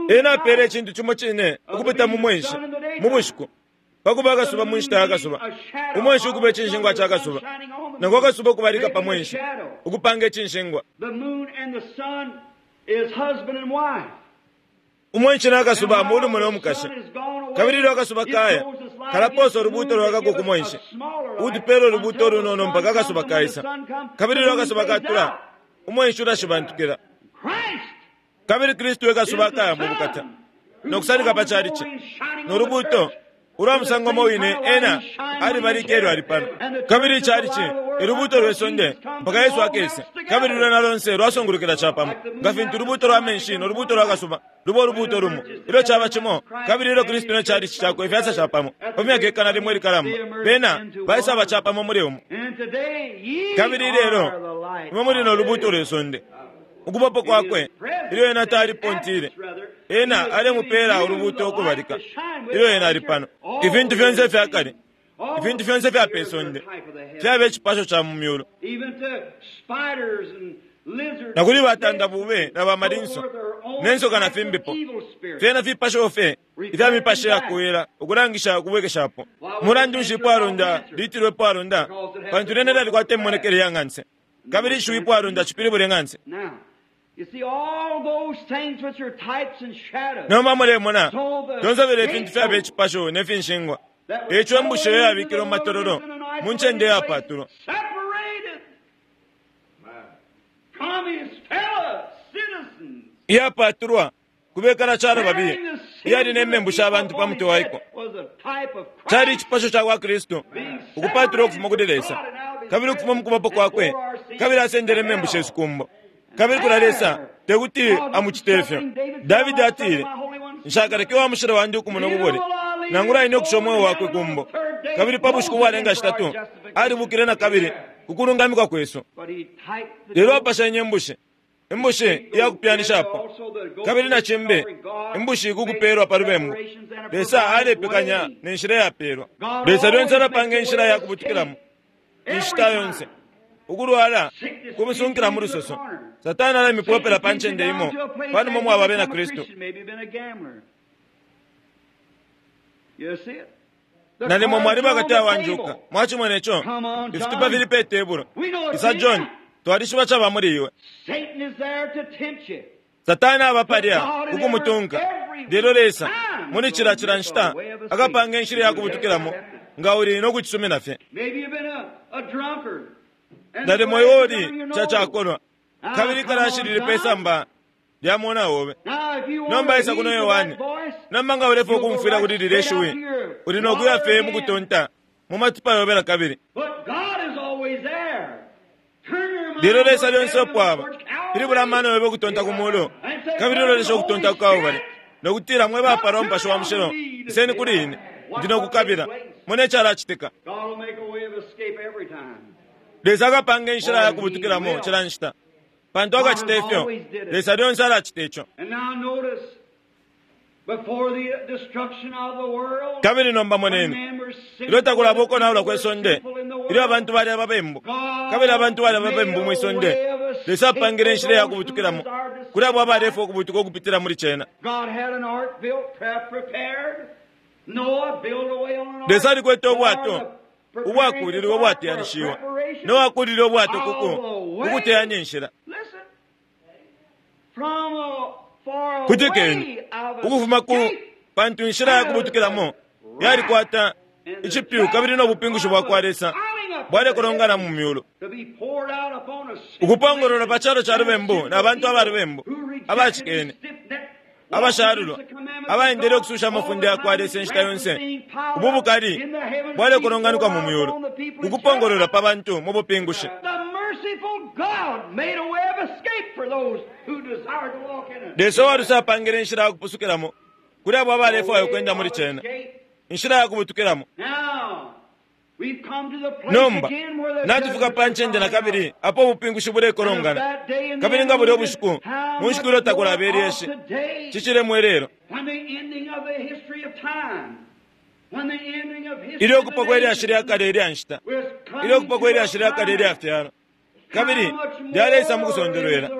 Ena apele icintu cimo cine ukupita mu mwenshi mu bushiku, pakuba akasuba mu nshita ya kasuba, umwenshi ukuba icinshingwa ca kasuba, nangu akasuba ukubalika pa mwenshi ukupanga icinshingwa. Umwenshi na akasuba mulume no mukashi, kabili ilyo akasuba kaya kalaposa ulubuuto lwakako ku mwenshi, utupela ulubuuto ulunono mpaka akasuba kaisa. Kabili ilyo akasuba katula, umwenshi ulashibantukila. Kabili Kristu e kasuba akaya mu bukata no kusanika pa chalichi no lubuuto ulwa musango mo wine ena alibalika elyo ali pano. Kabili ichalichi elubuuto lwe sonde mpaka Yesu akese, kabili lwena lonse lwasungulukila capamo nga fintu ulubuuto lwa menshi no lubuuto lwa kasuba luba ulubuuto lumo ilyo caba cimo. Kabili ilyo Kristu ne chalichi cakwe ifyasa capamo pa myaka ikana limo ilikalamba, bena baisaba capamo muli umo. Kabili lelo imwe muli no lubuuto lwe sonde. Ukubapo kwakwe ilyo ena talipontile, ena alemupela ulubuuto ukubalika ilyo ena ali pano. Ifintu fyonse ifya kale, ifintu fyonse ifya pe sonde fyaba icipasho ca mu myulu. Na kuli batanda bube na bamalinso ne nsoka na fimbipo, fyena fipasho fye ifya mipashi yakuwela ukulangisha ukubwekeshapo. Mulandu nshi ipwalonda litilwe ipwalonda? Pantu lyena lyalikwata imonekele ya ng'anse, kabili ishiwi ipwalonda cipilibule ng'anse. Nomba mulemona lyonse filya ifintu fyaba icipasho ne finshingwa. Eco embushe iyo yabikilwe mu matololo mu ncende iyapatulwa, iyapatulwa kubekala calo babiye, iyali ne membu sha bantu pa mutwe waiko. Cali icipasho ca kwa Kristu ukupatulwa ukufuma kuli Lesa, kabili ukufuma mukubapo kwakwe, kabili asendele membu shesu kumbo. Kabili kula Lesa tekuti amucite ifyo. Davidi atile, nshakaleke wa mushilo wandi ukumona ububole, nangula ine ukusha umweo wakwe kumbo. Kabili pa bushiku bwalenga shitatu alibukile na kabili kukulungamikwa kwesu. Lelo apashenye imbushi, imbushi iyakupyanishapo, kabili na cimbi imbushi kukupelwa pa lubembu. Lesa alepekanya ne nshila iyapelwa. Lesa lyonse alapanga inshila yakubutukilamo inshita yonse. Ukulwala kumusunkila mu lusoso. Satana alamipopela pa ncende imo panuma mwaba abena Kristu. Nalimo mwaliba kati awanjuka. Mwachimona ico ifitupa fili pe tebulo. Isa John, twalishiba caba muli iwe. Satana aba palya ukumutunka. Lelo Lesa muli cila cila nshita akapanga inshila yakubutukilamo nga uli no kucisumina fye. Nalimo iwe uli cacakolwa, kabili kalashilile pe samba lya mona obe. Nomba isa kuno Yohane, nomba nga ulefwaya ukumfwila kuli lilya ishiwi, uli no kuya fye mukutonta mu matupa yobe na kabili. Lelo Lesa lyonse opo pilibula amano yobe ukutonta ku mulu, kabili ulolesha ukutonta ku Kalbale, no kutila mwe bapalwa Mupashi wa Mushilo, iseni kuli ine, ndi no kukabila. Mone icalacitika. Lesa akapanga inshila yakubutukilamo cila nshita, pantu akacita ifyo. Lesa lyonse alacita ico. Kabili nomba moneni, ilyo takulaba ukonaula kwe sonde, ilyo abantu bali ababembu, kabili abantu bali ababembu mwi sonde, Lesa apangile inshila ya kubutukilamo kuli abo abalefwa ukubutuka ukupitila muli cena. Lesa alikwete ubwato ubwakulilwe ubwateyanishiwa, Noa akulile ubwato kuku ukuteyanya inshila. Kutikeni ukufuma ku pantu inshila ya kubutukilamo yalikwata icipyu kabili no bupingushi bwa kwa Lesa bwalekolongana mu myulu, ukupongolola pa calo ca lubembu na bantu aba lubembu abacikene abashalulwa abaendele ukususha amafunde ya kwa Lesa inshita yonse. Ubu bukali bwalekolonganikwa mu myulu ukupongolola pa bantu mu bupingushi. Lesa uwaluse apangile inshila ya kupusukilamo kuli abo abalefwaya ukwenda muli cena, inshila ya kubutukilamo. Nomba natufika pa ncende na kabili apo ubupingushi bulekolongana, kabili nga bulya ubushiku mu nshiku ilyo takulaba ilyeshi cicilemo ilelo, ilyo kupwa kwe lyashi lya kale ilya nshita, ilyo kupwa kwe lyashi lya kale ilya fyalo, kabili lyaleisa mu kusondolwela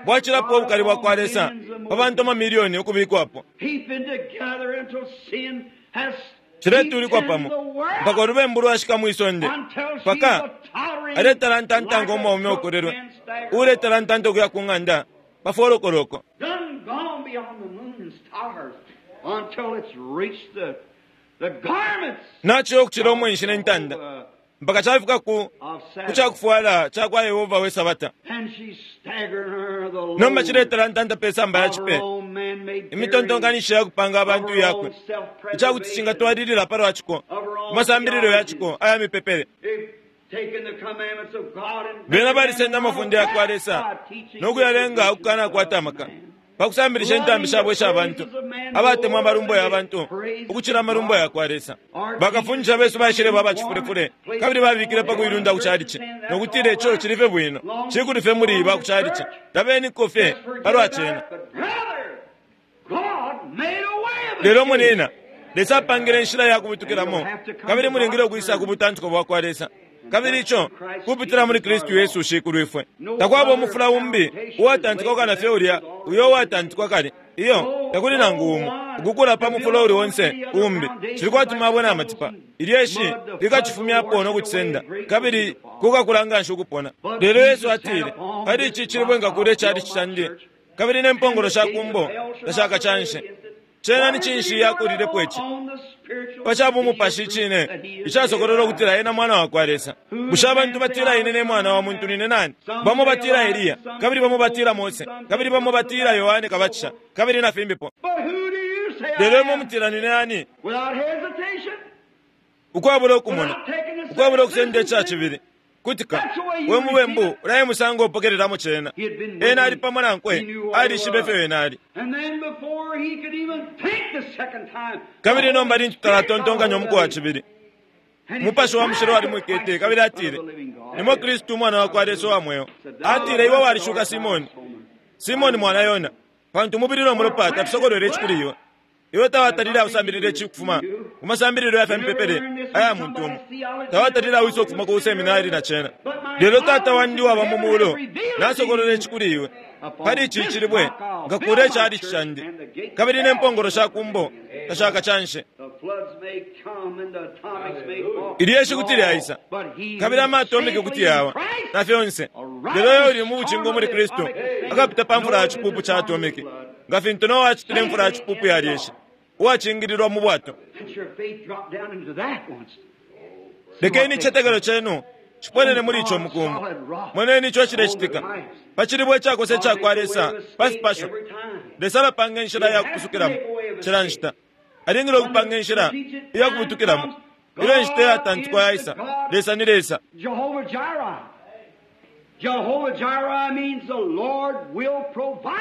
bwacilapo ubukali bwa kwa Lesa pa bantu amamilioni ukubikwapo ciletulikwa pamo mpaka ulubembu lwashika mwisonde, mpaka aletalantanta ngo mwaume ukolelwe uletalantanta ukuya ku ng'anda pa folokoloko. Naciyo ukucila umwenshi ne ntanda mpaka cafika ku kucakufwala ca kwa Yehova we Sabata. Nomba ciletalantanta pe samba ya cipe imitontonkanisho ya kupanga abantu yakwe, icakuti cingatwalilila palwa ciko kumasambililo ya ciko aya mipepele. Bena balisenda amafunde ya kwa Lesa no kuyalenga ukukanakwata amaka pa kusambilisha intambi shabo isha bantu abatemwa amalumbo ya bantu ukucila amalumbo ya kwa Lesa. Bakafundisha besu baishile baba cifulefule kabili babikile pa kuilunda ku chalichi no kutila ico cilife bwino cikulife muli ba ku chalichi tabeniko fye palwa cena. Lelo munina, Lesa apangile inshila ya kubutukilamo, kabili mulingile ukwisa ku butantiko bwa kwa Lesa, kabili ico kupitila muli Kristu Yesu Shikulu ifwe. Takwaba umufula umbi uwatantikwa kana fye ulya uyo uwatantikwa kale, iyo takuli nangu umo ukukula pa mufula uli onse umbi. Cili kwati mabwe na matipa, ilyeshi likacifumyapo no kucisenda, kabili kukakula nganshi ukupona. Lelo Yesu atile, pali ici cilibwe nkakula ichalichi candi, kabili ne mpongolo sha kumbo tashakacanshe. Cena ni cinshi yakulilepo ici pa bumupashi icine icasokolola ukutila ena mwana wa kwa Lesa. Bushe abantu batila ine ne mwana wa muntu nine nani? Bamo batila Eliya, kabili bamo batila Mose, kabili bamo batila Yohane Kabatisha, kabili na fimbipo. Lelo imwe mutila nine nani? Ukwabula ukumona, ukwabula ukusenda ica cibili kutika we mubembu ulaye musango upokelelamo cena. Ena ali pamo nankwe, alishibe fye wena ali. Kabili nomba lintu talatontonkanya umuku wa cibili, Mupashi wa mushilo walimwikete, kabili atile, nimo Kristu umwana wa kwa Lesa wa mweo. Atile, iwe walishuka Simoni, Simoni mwana Yona, pantu umubili no mulopa tafisokolwele ici kuli iwe. Iwe tawatalile ausambilile ici kufuma ku masambililo ya fyamipepele aya muntu umo, tawatalile awisa ukufuma ku seminari na cena. Lelo Tata wandi waba mu muulu nasokolola ici kuli iwe. Pali ici cilibwe nkakula ichalichi candi, kabili ne mpongolo sha kumbo tashakacanshe. Ilyeshi kuti lyaisa, kabili amatomike kuti yawa na fyonse, lelo yo uli mu bucingo muli Kristu akapita pa mfula ya cipupu ca atomike, nga fintu Noa acitile imfula ya cipupu ya lyeshi uwacingililwa mu bwato. Lekeni icetekelo cenu ciponene muli ico mukumbu. Moneni ico cilecitika pa cilibwe icakose ica kwa Lesa pa fipasho. Lesa alapanga inshila ya kupusukilamo cila nshita. Alingile ukupanga inshila iya kubutukilamo ilyo inshita iyatantikwa yaisa. Lesa ni Lesa.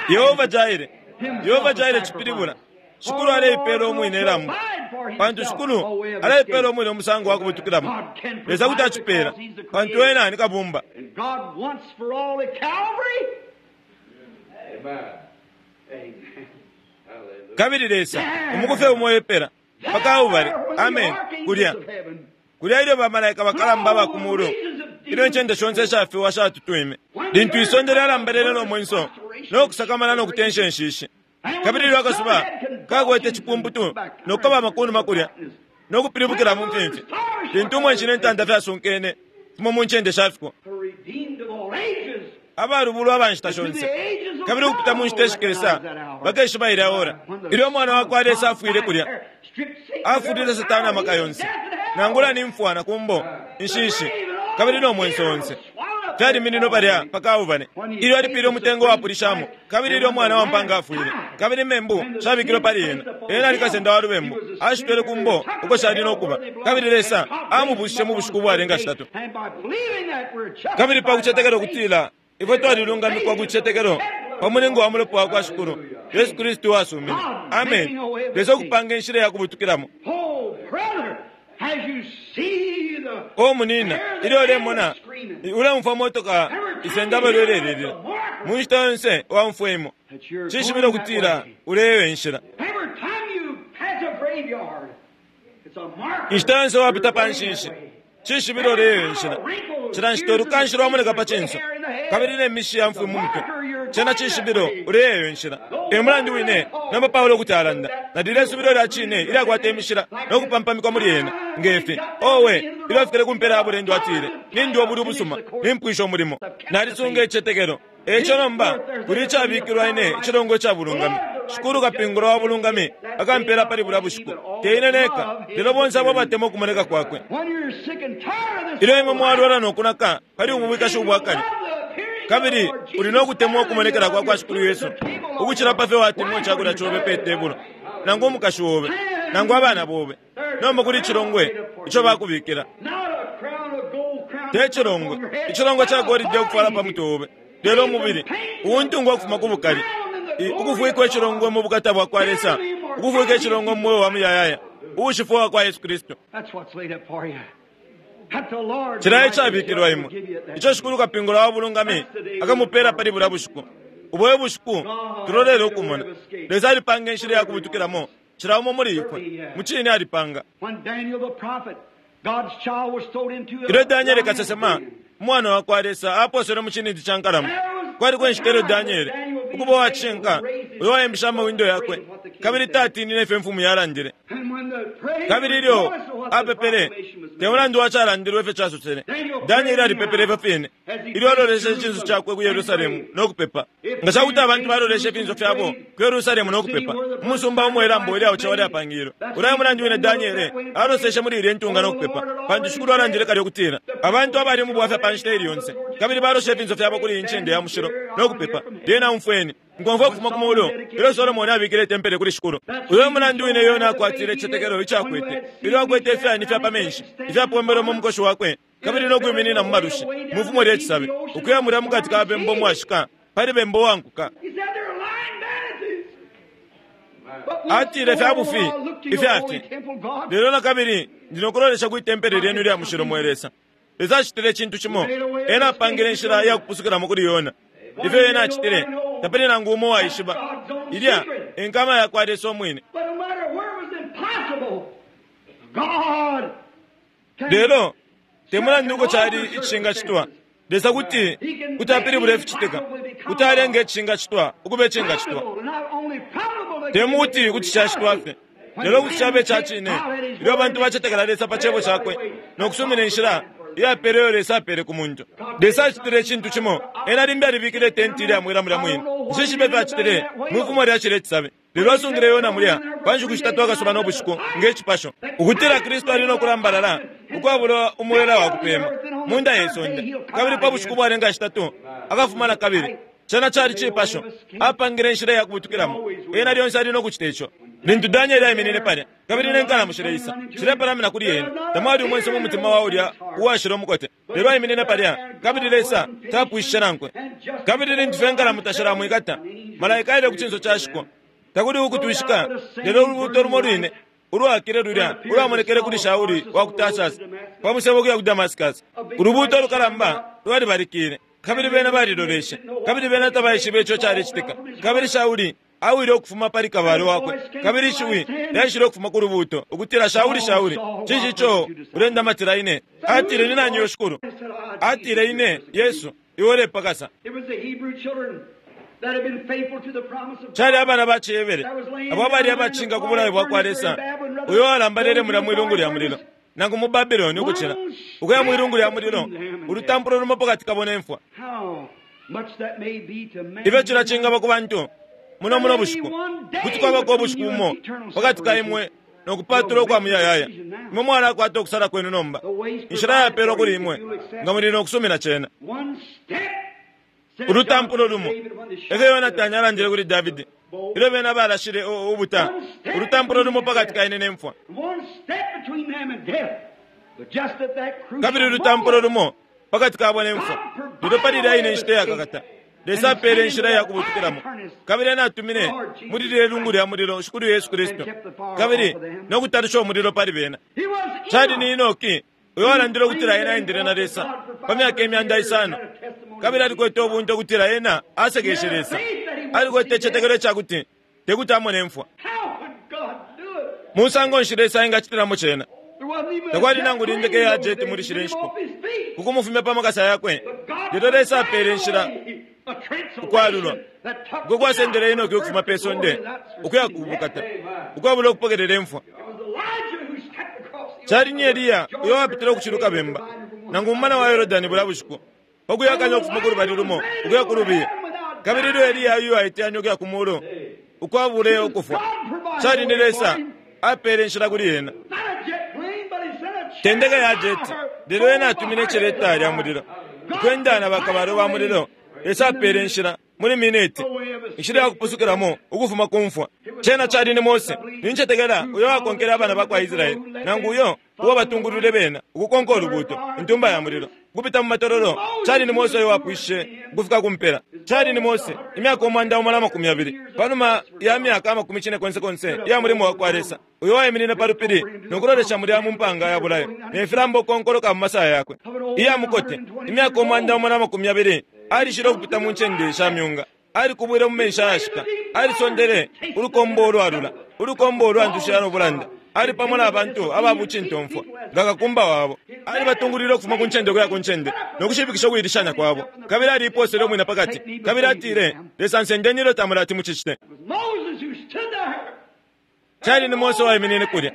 Yehova Jaire, Yehova Jaire cipilibula Shikulu aleipela umwine ilambo, pantu Shikulu aleipela umwine umusango wa kubutukilamo. Lesa kuti acipela, pantu ena ni kabumba. Kabili Lesa umukufe umo epela pakabubale. Amen. Kulya kulya ilyo bamalaika bakalamba ba kumulu, ilyo incende shonse shafiwa shatutwime, lintu isonde lyalambalele no mwenso no kusakamana no kutensha inshishi, kabili ilyo akasuba kakwete cipumputu no kukaba makunuma kulya no kupilibukila mu mfimfi, lintu umwenshi ne ntanda fyasunkene fimo mu ncende shafiko, abalubulwa aba nshita shonse kabili ukupita mu nshita ishikesa bakeshiba ilya ora ilyo umwana wa kwa Lesa afwile kulya, afulile Satani amaka yonse, nangula ni mfwa na kumbo inshishi kabili no mwenso onse fyaliminino palya pakabubale ilyo alipile umutengo wapulishamo, kabili ilyo umwana wa mpanga afwile kabili membu shabikilwe pali ena, ena alikasenda wa lubembu ashitwele kumbo uko shali nokuba, kabili Lesa amubushishe mu bushiku bwalenga shitatu. Kabili pakucetekela ukutila ifwe twalilungamikwa ku cicetekelo pa mulingo wa mulopa wa kwa Shikulu Yesu Kristu wasumine. Amen. Lesa ukupanga inshila ya kubutukilamo. O munina, ilyo ulemona ulemfwa motoka isenda balwelelelila mu nshita yonse wamfwa imo, cishibilo ukutila uleyo inshila. Inshita yonse wapita pa nshishi, cishibilo uleyo inshila. Cila nshita ulukanshi lwamoneka pa cinso kabili ne mishi ya mfwi mu mutwe, cena cishibilo uleyo inshila. E mulandu wine namba Paulo kuti alanda nalile subilo lya cine ilyakwata imishila no kupampamikwa muli ena ngefi. Owe, ilyo afikile kumpela ya bulendo atile, nindiwa buli ubusuma, nimpwisha umulimo, nalisunga icicetekelo. Eco nomba kuli icabikilwa ine icilongo ica bulungami. Shikulu kapingula wa bulungami akampela pali bulya bushiku, te ine neka, lelo bonse abo abatemwa ukumoneka kwakwe. Ilyo imwe mwalwala no kunaka pali ubu bwikashi ubwakale, kabili uli no kutemwa ukumonekela kwa kwa Shikulu Yesu ukucila pa fyo watemwa icakulya cobe pe tebulo, nangu umukashi wobe, nangu abana bobe, nomba kuli icilongwe ico bakubikila. Te cilongwe, icilongwe ca golide ukufwala pa mutwe obe, lelo umubili uwuntungwa ukufuma ku bukali, ukufwikwa icilongwe mu bukata bwa kwa Lesa, ukufwika icilongwe mu mweo wa muyayaya uwushifwa wa kwa Yesu Kristu. Cila icabikilwa imwe ico Shikulu kapingula wa bulungami akamupela pali bulya bushiku. Ubo bushiku tulolele ukumona Lesa alipanga inshila ya kubutukilamo cila umo muli ifwe, mucine alipanga. Ilyo Danieli kasesema umwana wa kwa Lesa aposele mu cinindi ca nkalamo, kwaliko inshita ilyo Danieli ukuba uwacishinka uyo waimbisha amawindo yakwe kabili tatinine ifyo imfumu yalandile. Kabili ilyo apepele, te mulandu wacalandilwe ifyo casosele, Danieli alipepele ifyo fine ilyo aloleshe icinso cakwe ku Yerusalemu no kupepa. Nga cakuti abantu baloleshe ifinso fyabo ku Yerusalemu no kupepa, umusumba umo ilambo ilyaocewa lyapangilwe. Ulaya mulandu wine Danieli aloseshe muli ilya intunga no kupepa, pantu Shikulu alandile kale ukutila abantu abali mu bwafya pa nshita ili yonse kabili baloshe ifinso fyabo kuli iyi ncende ya mushilo no kupepa, lyena umfweni nkomfwa ukufuma ku mulu ilyo Solomoni abikile itempele kuli Shikulu. Uyo mulandu wine Yona akwatile icicetekelo icakwete ilyo akwete ifyani fya pa menshi ifyapombelwe mu mukoshi wakwe kabili no kwiminina mu malushi mu fumo lya cisabi, ukuya mulya mukati ka bembo mwashika pali bembo wankuka. Atile fya bufi ifyafye, lelo na kabili ndi nokulolesha kwi tempele lyenu lya mushilo mwe Lesa. Lesa acitile icintu cimo, ena apangile inshila iya kupusukilamo kuli Yona. Ifyo ena acitile tapali nangu umo waishiba. Ilya enkama ya kwa Lesa umwine. Lelo te mulandu uko cali icishingacitwa, Lesa kuti kuti apilibula ificitika, kuti alenga icishingacitwa ukuba icingacitwa. Te mukuti kuti cacitwa fye, lelo kuti cabe ca cine ilyo abantu bacetekela Lesa pa cebo cakwe no kusumina inshila iyapele iyo Lesa apele ku muntu. Lesa acitile icintu cimo, ena limbi alibikile itenti ilya mwela mulya mwine. Nshishibe ifyo acitile mwifumo lya cile cisabi, lelo asungile Yona mulya pa nshiku shitatu akasuba no bushiku nge cipasho, ukutila Kristu ali no kulambalala ukwabula umwela wa kupema mu nda ye sonde, kabili pa bushiku bwalenga shitatu akafuma na kabili. Cena cali cipasho, apangile inshila ya kubutukilamo. Ena lyonse ali no kucita ico. Lintu Danieli aiminine palya kabili ne nkalamo shileisa shilepalamina kuli ena, tamwali umwenso mu mutima wa ulya uwashila umukote, lelo aiminine palya kabili Lesa tapwishishe nankwe. Kabili lintu fye nkalamo tashilamwikata, malaika aile ku cinso ca shiko, takuli ukutwishika, lelo ulubuuto lumo lwine ulwakile lulya ulwamonekele kuli Shauli wa ku Tarsus pa musebo kuya ku Damascus. Ulubuuto lukalamba lwalibalikile, kabili bena baliloleshe, kabili bena tabaishibe ico calecitika. Kabili Shauli Awile ukufuma pali kabalwe wakwe, kabili ishiwi lyaishile ukufuma ku lubuuto ukutila, Shauli, Shauli, cinshi ico ulendamatila ine? Atile, ni nani yo Shikulu? Atile, ine Yesu, iwe ulepakasa. Cali abana ba ciHebere abo abali abacinga ku bulayo bwa kwa Lesa, uyo alambalele mulya mwilungu lya mulilo nangu mu Babiloni, ukucila ukuya mwilungu lya mulilo, ulutampulo lumo pakati kabo ne mfwa. Ifyo cila cingaba ku bantu muno muno bushiku, kuti kwabako ubushiku bumo pakati ka imwe no kupatula ukwa muyayaya. Imwe mwalakwata ukusala kwenu nomba, inshila yapelwa kuli imwe nga muli no kusumina cena. Ulutampulo lumo, efyo Yonatani alandile kuli Davidi ilyo bena balashile ubuta, ulutampulo lumo pakati ka ine ne mfwa, kabili ulutampulo lumo pakati kabo ne mfwa. Lelo pali ilya ine nshita iyakakata, Lesa apele inshila ya kubutukilamo, kabili ena atumine muli lilye lungu lya mulilo Shikulu Yesu Kristu, kabili no kutalusha umulilo pali bena. Cali ni Enoki uyo alandile ukutila ena aendele na Lesa pa myaka imyanda isano, kabili alikwete ubunte ukutila ena asekeshe Lesa. Alikwete icitetekelo icakuti tekuti amone mfwa. Musango nshi Lesa engacitilamo cena? Takwali nangu lindeke ya jeti muli shile nshiku kukumufumya pa makasa yakwe, lelo Lesa apele inshila ukwalulwa uko kwasendele Enoki ukufuma pe sonde ukuya kubukata ukwabula ukupokelela imfwa. Cali ni Eliya uyo wapitile ukuciluka bemba nangu mumana wa Yorodani bula bushiku, pakuyakanya ukufuma ku lubali lumo ukuya ku lubiye, kabili ilyo Eliya uyo aiteyanya ukuya ku mulu ukwabule ukufwa, cali ni Lesa apele inshila kuli ena. Tendeka ya jeti, lelo ena atumine iceleta lya mulilo ukwenda na bakabalwe ba mulilo. Lesa apele inshila muli mineti, inshila ya kupusukilamo ukufuma ku mfwa. Cena cali ni Mose, nincetekela, uyo wakonkele abana ba kwa Israeli, nangu uyo uwo batungulwile bena ukukonka ulubuuto, intumba ya mulilo ukupita mu matololo. Cali ni Mose uyo wapwishishe ukufika ku mpela. Cali ni Mose, imyaka umwanda umo na makumi yabili panuma ya myaka amakumi cine konse konse iya mulimo wa kwa Lesa, uyo waiminine pa lupili no kulolesha mulya mu mpanga ya bulayo ne filambo ukonkoloka mu masaya yakwe iya mukote. Imyaka umwanda umo na makumi yabili alishile ukupita mu ncende sha myunga, alikubwile mu menshi ayashika, alisondele ulukombo ulwalula, ulukombo ulwantushila no bulanda. Ali pamo na bantu ababucintomfwa nga kakumba wabo, alibatungulwile ukufuma ku ncende ukuya ku ncende no kushipikisha ukuilishanya kwabo, kabili aliiposele umwine pakati, kabili atile, Lesa nsendeni ilyo tamulati mucicite. Cali ni Mose waiminine kulya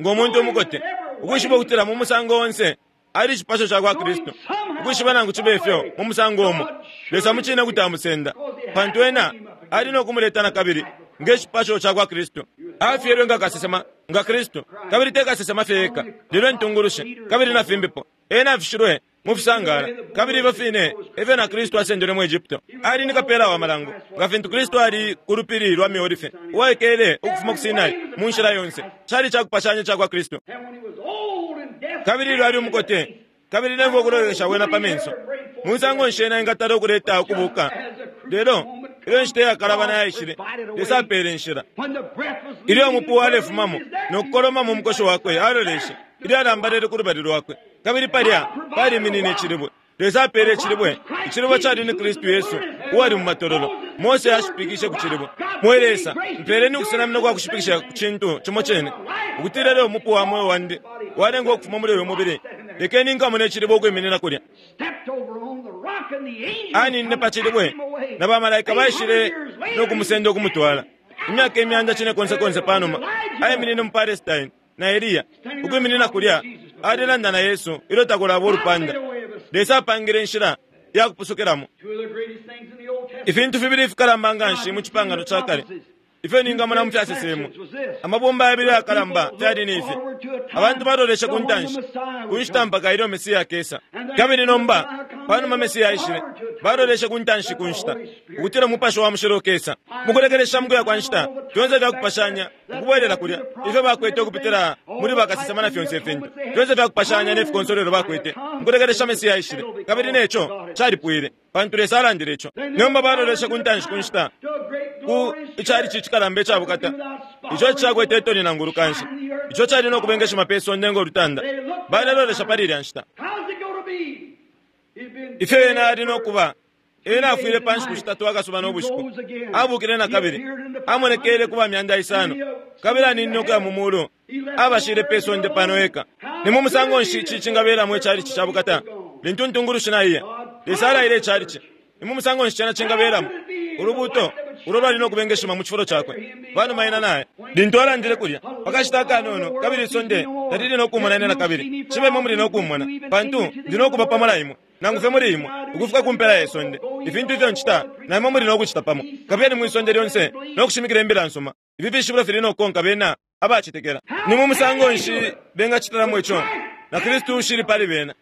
ngo muntu umukote, ukwishiba ukutila mu musango onse ali icipasho ca kwa Kristu, ukwishiba nangu cibe ifyo mu musango umo Lesa mucine kuti amusenda, pantu ena ali no kumuleta na kabili nge cipasho ca kwa Kristu. Afyelwe nga kasesema nga Kristu, kabili te kasesema fye eka, lelo intungulushi kabili na fimbipo. Ena afishilwe mu fisangala, kabili ifyo fine efyo na Kristu asendelwe mu Egypto. Ali ni kapela wa malango nga fintu Kristu ali ku lupili lwa Miolife, uwaikele ukufuma ku Sinai mu nshila yonse. Cali cakupashanya ca kwa Kristu. Kabili ilyo ali umukote, kabili nemfwa ukulolekesha wena pa menso, musango nshi ena engatala ukuleta ukubuka? Lelo ilyo nshita iyakalabana yaishile, Lesa apele inshila. Ilyo umupu walefumamo no kukoloma mu mukoshi wakwe, aloleshe ilyo alambalele ku lubali lwakwe, kabili palya paliminine icilibwe. Lesa apele icilibwe. Icilibwe cali ni Kristu Yesu uwali mu matololo. Mose ashipikishe ku cilibwe. Mwe Lesa, mpeleni ukusenamina kwa kushipikisha ku cintu cimo cene, ukutila lelo umupu wa mweo wandi walengwa ukufuma muli uyu mubili, lekeni nkamone icilibwe ukwiminina kulya. Aninine pa cilibwe, na bamalaika baishile no kumusenda ukumutwala. Imyaka imyanda cine konse konse panuma, aiminine mu Palestine na Eliya ukwiminina kulya, alelanda na Yesu ilyo takulaba ulupanda. Lesa apangile inshila ya kupusukilamo. Ifintu fibili ifikalamba nga nshi mu cipangano ca kale ifyo ningamona mu fyasesemo, amabumba yabili ayakalamba fyali ni ifi: abantu baloleshe ku ntanshi ku nshita mpaka ilyo Mesiya akesa, kabili nomba panuma Mesiya aishile, baloleshe ku ntanshi ku nshita ukutila Umupashi wa Mushilo ukesa. Mukulekelesha mukuya kwa nshita, fyonse fyakupashanya ukubwelela kulya ifyo bakwete ukupitila muli bakasesema na fyonse ifintu fyonse fyakupashanya ne fikonsolelo bakwete, mukulekelesha Mesiya aishile, kabili neco calipwile, pantu Lesa alandile ico. Nomba baloleshe ku ntanshi ku nshita ku icali cikalamba icabukata, ico cakwete itoni nangu ulukanshi, ico cali no kubengeshima pe sonde ngo lutanda. Balelolesha pali ilya nshita ifyo ena ali no kuba. Ena afwile pa nshiku shitatu akasuba no bushiku. Abukile na kabili. Amonekele kuba myanda isano. Kabili aninine ukuya mu mulu. Abashile pe sonde pano eka. Ni mu musango nshi ici cingabelamo icalici ca bukata? Lintu ntungulushi naiya. Lesa alaile icalici. Ni mu musango nshi cena cingabelamo? Ulubuto ulo lwali no kubengeshima mu cifulo cakwe. Panuma ena naye. Lintu alandile kulya, pakashita akanono, kabili isonde talili no kumona ine na kabili. Cibe imwe muli no kumona, pantu ndi no kuba pamo na imwe. Nangu fye muli imwe, ukufika ku mpela ye sonde. Ifintu ifyo ncita, na imwe muli no kucita pamo. Kabiyeni mwi sonde lyonse no kushimikila imbila nsuma. Ifi fishibilo fili no kukonka bena abacetekela. Ni mu musango nshi bengacitilamo ico? Na Kristu ushili pali bena.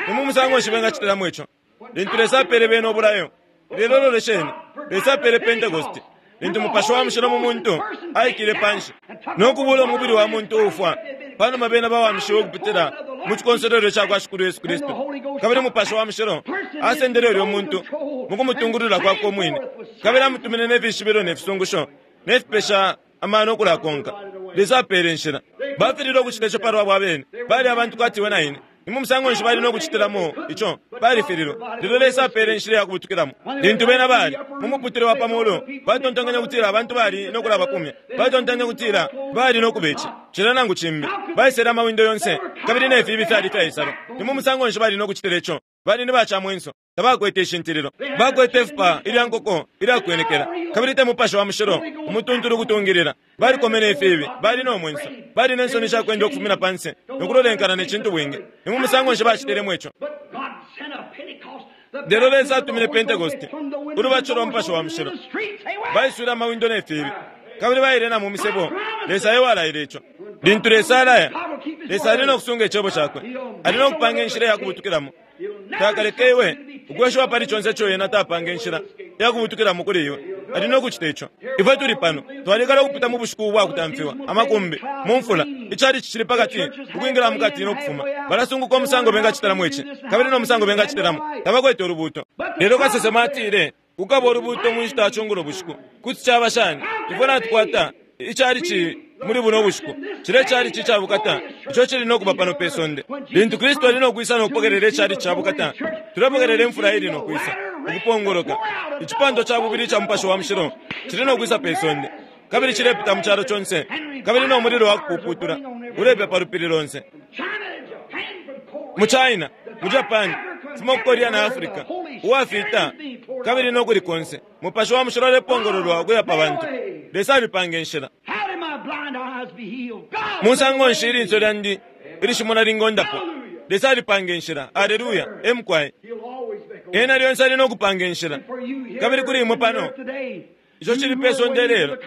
Ni mu musango nshi bengacitilamo ico? Lintu Lesa apele bena obulayo. Lelo lolesheni, Lesa apele Pentecost. Lintu Mupashi wa Mushilo mu muntu aikile panshi no kubula umubili wa muntu uufwa, panuma bena bawamishiwe ukupitila mu cikonsolwelo ca kwa Shikulu Yesu Kristu. Kabili Mupashi wa Mushilo asendele ulyo muntu mu kumutungulula kwakwe umwine, kabili amutumine ne fishibilo ne fisungusho ne fipesha amano ukulakonka. Lesa apele inshila. Bafililwe ukucita ico palwabo abene. Bali abantu kwati iwe na ine. Ni mu musango nshi bali no kucitilamo ico? Balifililwe. Lelo Lesa apele inshila ya kubutukilamo. Lintu bena bali mu muputule wa pa mulu, batontonkanya kutila abantu bali no kulabakumya. Batontonkanya kutila bali no kubeca. Cila nangu cimbi. Baisele amawindo yonse, kabili ne fibi fyali fyaisalwa. Ni mu musango nshi bali no kucitila ico? Bali ni bacamwenso. Tabakwete ishintililo. Bakwete ifupa ilya nkoko ilya kwenekela. Kabili te Mupashi wa Mushilo umutuntulu kutungilila. Balikomene ifibi, bali no mwenso. Bali ne nsoni sha kwenda ukufumina panse no kulolenkana ne cintu bwingi. Ni mu musango nshi bacitilemo ico? Lelo Lesa atumine Pentecost, ulubatisho lwa Mupashi wa Mushilo. Baiswile amawindo ne fibi, kabili baile na mu misebo. Lesa e walaile ico. Lintu Lesa alaya, Lesa ali no kusunga icebo cakwe. Ali no kupanga inshila ya kubutukilamo. Takaleke iwe ukweshiwa pali conse ico yena tapanga inshila ya kubutukilamo kuli iwe. Ali no kucita ico. Ifwe tuli pano, twalikala ukupita mu bushiku ubwa kutamfiwa, amakumbi, mu mfula, icalici cili pakati, ukwingila mukati no kufuma. Balasunguka umusango bengacitilamo ici, kabili no musango bengacitilamo. Tabakwete ulubuto. Lelo kasesema atile, kukaba ulubuto mu nshita ya cungulo bushiku. Kuti caba shani? Ifwe natukwata icalici muli buno bushiku. Cile calici ica bukata, ico cili no kuba pano pe sonde. Lintu Kristu ali no kwisa no kupokelela icalici ca bukata, tulepokelela imfula ili no kwisa, ukupongoloka. Icipando ca bubili ica Mupashi wa Mushilo cili no kwisa pe sonde, kabili cilepita mu calo conse, kabili no mulilo wa kupuputula ulepya pa lupili lonse. Mu China, mu Japan, fuma ku Korea na Africa, uwafita kabili no kuli konse, Mupashi wa Mushilo alepongololwa ukuya pa bantu. Lesa alipanga inshila. Musango nshi ilinso lyandi ilishimona lingondapo? Lesa alipanga inshila. Aleluya. Emukwaye. Ena lyonse ali no kupanga inshila. Kabili kuli imwe pano, ico cili pe sonde lelo.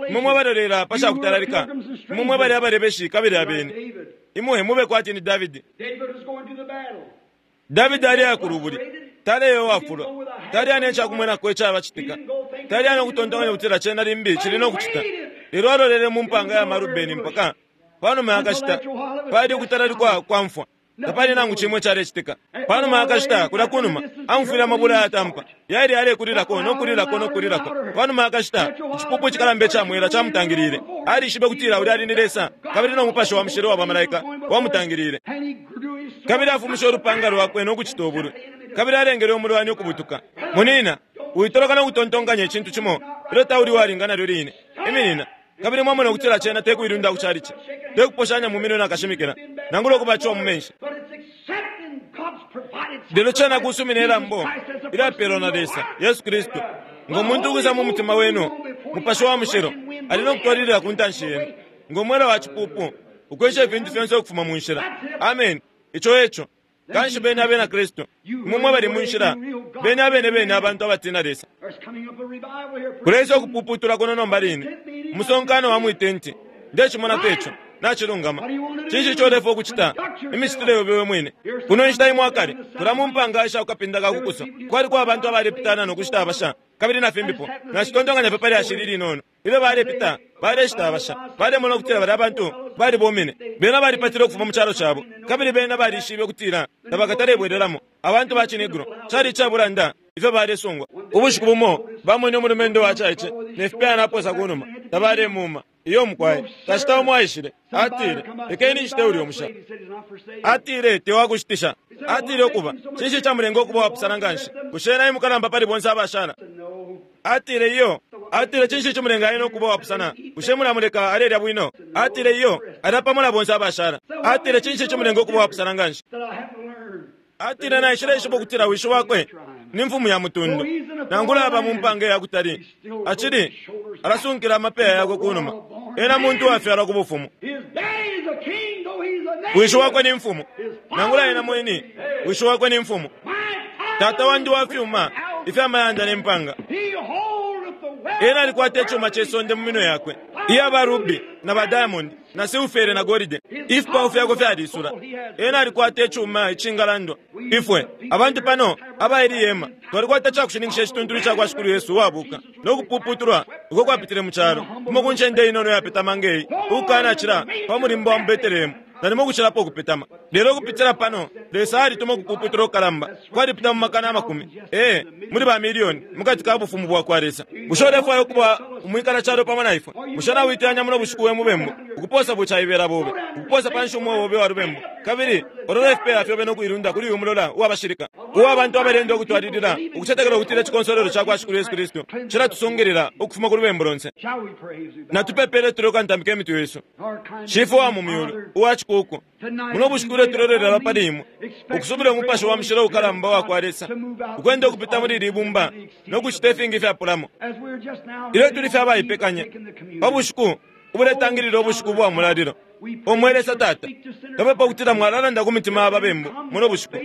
Imwe mwabalolela pa cakutalalika. Imwe mwabali abalebeshi kabili abene. Imwe mube kwati ni Davidi. Davidi ali akulubuli. Taleyo wafulwa. Tali ane icakumwenako icabacitika. Tali ane ukutontonkanya kutila cena limbi cili no kucita. Lelo alolele mu mpanga ya Marubeni mpaka panuma yakashita pali ukutalalikwa kwa mfwa. Tapali nangu cimwe calecitika. Panuma yakashita kulya kunuma amufwile amabula yatampa. Yali alekulilako no kulilako no kulilako. Panuma yakashita icipupu icikalamba icamwela camutangilile. Alishibe kutila ulya ali ni Lesa, kabili no Mupashi wa Mushilo wa bamalaika wamutangilile. Kabili afumishe ulupanga lwakwe no kucita ubulwi. Kabili alengele umulwani ukubutuka. Munina, uitoloka no kutontonkanya icintu cimo ilyo tauli walinga nalyo line. Iminina. Kabili mwamona ukutila cena tekuilunda ku calici, tekuposhanya mu minwe nakashimikila, nangula ukubaciwa mu menshi. Lelo cena kusumina ilambo ilapelwa na Lesa, Yesu Kristu. Ngo muntu ukwisa mu mutima wenu, Mupashi wa Mushilo ali no kutwalilila ku ntanshi yenu, ngo mwela wa cipupu ukwesha ifintu fyonse ukufuma mu nshila. Amen. Ico eco. Kanshi bene abena Kristu, imwe mwabali mu nshila, bene abene bene abantu abatina Lesa. Kulesa ukupuputula kuno nomba line, umusonkano wa mwitenti. Ndecimona peco, nacilungama. Cinshi ico ulefwa ukucita? Imicitile yobe we mwine. Kuno inshita imwe akale, kula mu mpanga isha kukapinda ka kukuso. Kwaliko abantu abalepitana no kushita abasha, kabili na fimbipo. Nacitontonkanya pe pali ashili linono. Ilyo balepita, baleshita abasha. Balemona ukutila bali abantu balibomine. Bena balipatile ukufuma mu calo cabo, kabili bena balishibe ukutila tabakatalebwelelamo. Abantu ba Cinegro, cali icabulanda ifyo balesungwa. Ubushiku bumo bamwene umulumendo wa caice ne fipe naposa kunuma, tabalemuma. Iyo mukwaye, kashita umo aishile, atile, lekeni nshite ulya umusha. Atile, tewakushitisha. Atile ukuba cinshi camulenga ukuba wapusana nganshi? Bushe ena emukalamba pali bonse abashala? Atile iyo. Atile cinshi cimulenga ena ukuba wapusana? Bushe mulamuleka alelya bwino? Atile iyo, alya pamo na bonse abashala. Atile cinshi cimulenga ukuba wapusana nganshi? Atile naishileishiba ukutila wishi wakwe ni mfumu ya mutundu, nangula aba mu mpanga ya kutali, acili alasunkila amapeya yakwe kunuma. Ena muntu wafyalwa ku bufumu. Wishi wakwe ni mfumu, nangula ena mwini wishi wakwe ni mfumu. Tata wandi wa fyuma ifyamayanda ne mpanga. Ena alikwata icuma ce sonde mu minwe yakwe, iya ba ruby na ba diamond na silfere na golide. Ifipawo fyakwe fyalisula. Ena alikwata icuma icingalandwa. Ifwe abantu pano abaili yema twalikwata cakushininkisha icituntulu cakwa Shikulu Yesu uwabuka no kupuputulwa uko kwapitile mu calo kumo ku ncende inono yapetama ngeyi, ukukanacila pa mulimbo wa mu Betelehemu nalimo ukucilapo ukupetama. Lelo ukupitila pano Lesa alituma ukupuputula ukukalamba kwalipita mu makana amakumi, ee, muli ba milioni mukati ka bufumu bwakwa Lesa. Bushe ulefwaya ukuba umwikala calo pamo na ifwe? Bushe nawiteyanya muno bushiku we mubembu ukuposa bucaibela bobe, ukuposa panshi umweo obe wa lubembu, kabili olola ifipeya fyobe nokuilunda kuli uyu mulola uwabashilika uwa abantu abalenda ukutwalilila ukucetekela ukutila icikonsolelo cakwa Shikulu Yesu Kristu cilatusungilila ukufuma ku lubembu lonse. Natupepele tulekantambika imitwe yesu. Shifwe wa mu myulu uwa cikuku, muno bushiku tulelolela pali imwe ukusubila umupashi wa mushilo ukalamba wakwa Lesa ukwenda ukupita muli ili ibumba no kucita ifingi ifyapulamo. Ilyo tuli fye abaipekanya pa bushiku ubuletangilila ubushiku bwa mulalilo, omwe Lesa Tata, twapepa ukutila mwalalanda ku mitima ya babembu muno bushiku.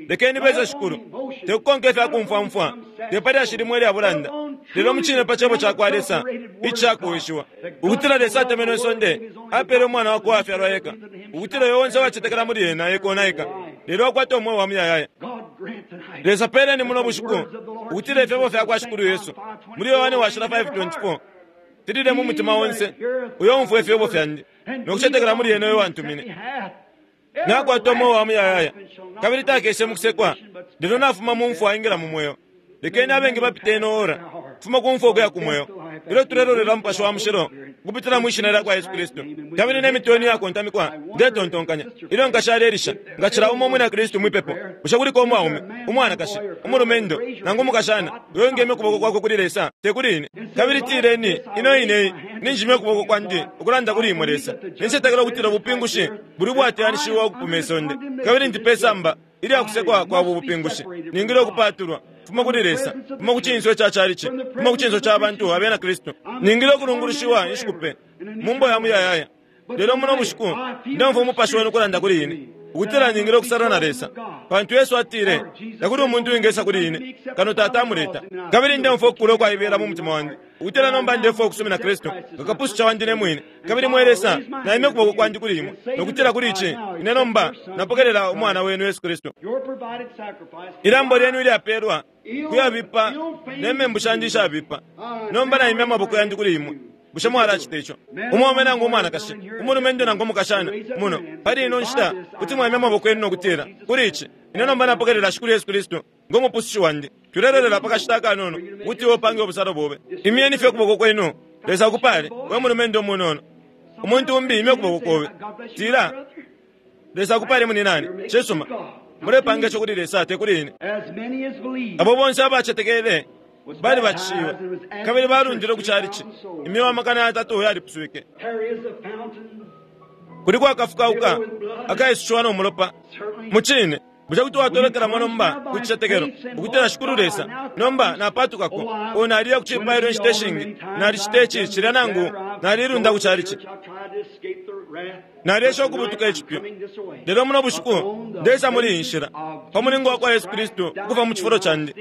Lekeni beze Shikulu, tekukonka ifyakumfwamfwa, te palyashi limwe ilya bulanda, lelo mucine pa cebo cakwa Lesa icakuwishiwa, ukutila Lesa atemenwe isonde apele umwana wakwe uwafyalwa eka, ukutila uyo onse uwacetekela muli ena ekonaika, lelo akwate umweo wa muyayaya. Lesa peleni muno bushiku ukutila ifyebo fyakwa Shikulu Yesu muli Yohane washila five twenty-four filile mu mutima onse uyo umfwa ifyebo fyandi nokucetekela muli ena uyo wantumine, nakwata umweo wa muyayaya, kabili takeshe mukusekwa, lelo nafuma mu mfwa aingila mu mweo. Lekeni abengi bapite ino ora kufuma ku mfwa ukuya ku mweo, ilyo tulelolela mupashi wa mushilo ukupitila mwi shina lyakwa Yesu Kristu. Kabili ne mitwe yenu yakontamikwa, ndetontonkanya ilyo nkashalelisha ngacila umo umwina Kristu mwipepo. Bushe kuliko umwaume, umwanakashi, umulumendo nangu umukashana uyo ngemye ukuboko kwakwe kuli Lesa, te kuli ine? Kabili tileni ino ine ninjimye ukuboko kwandi ukulanda kuli imwe Lesa, nincetekela ukutila ubupingushi buli bwateyanishiwa ukupuma isonde, kabili ndi pe samba ilyakusekwa kwa bu bupingushi ningile ukupatulwa fuma kuli Lesa, fuma ku cinso ca chalichi, fuma ku cinso ca bantu abena Kristu. Ningile ukulungulushiwa inshiku pe mumbo ya muyayaya. Lelo muno bushiku ndemfwa umupashi wenu ukulanda kuli ine ukutila ningile ukusala na Lesa, pantu Yesu atile takuli umuntu wingesa kuli ine kano Tata amuleta. Kabili ndemfwa ukukula ukwaibela mu mutima wandi ukutila nomba ndefwa ukusumina Kristu ngakapususha wandi ne mwine. Kabili mwe Lesa, naimye ukuboko kwandi kuli imwe nokutila kuli ici ine nomba napokelela umwana wenu Yesu Kristu. Ilambo lyenu ilyapelwa kuyabipa ne membu shandi ishabipa, nomba naimye amaboko yandi kuli imwe. Bushe mwalacita ico? Umwaume nangu umwanakashi, umulumendo nangu umukashana muno pali ino nshita kuti mwaimya amaboko yenu nokutila kuli ici ine nomba napokelela Shikulu Yesu Kristu ngomupusushi wandi. Tulelolela pakashita akanono kuti iwe upange ubusalo bobe. Imyeni fye ukuboko kwenu. Lesa akupale we mulumendo umunono. Umuntu umbi imye ukuboko kobe, tila Lesa akupale muninani. Cisuma, mulepanga ico kuli Lesa te kuli ine. Abo bonse abacetekele bali bacishiwe kabili balundile ku chalichi. Imyeo amakana yatatu yalipuswike. Kuli kwakafukauka akaisushiwa no mulopa mucine. Bushe kuti watolokelamo nomba ku cicetekelo ukutila Shikulu Lesa, nomba napatukako, o naliya ku cipailo inshita ishingi, nalicita ici cilya nangu nalilunda ku chalichi, nalesha ukubutuka icipyu, lelo muno bushiku ndesa muli iyi nshila pa mulingo wakwa Yesu Kristu ukufa mu cifulo candi.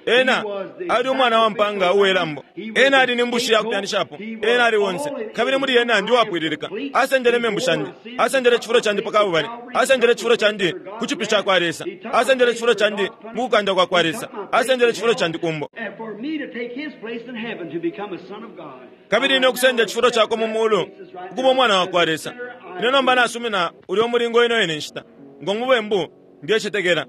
Ena ali umwana wa mpanga uwelambo, ena ali ni mbushi yakupyanishapo, ena ali wonse, kabili muli ena ndi wapwililika. Asendele membu shandi, asendele cifulo candi pa kabubale, asendele cifulo candi ku cipyu cakwa Lesa, asendele cifulo candi mu kukanda kwa kwa Lesa, asendele cifulo candi kumbo. Kabili ine okusenda cifulo cakwe mu mulu ukuba umwana wa kwa Lesa. Ine nomba nasumina ulya umulingo ino ine nshita ngo mubembu ndiyecetekela.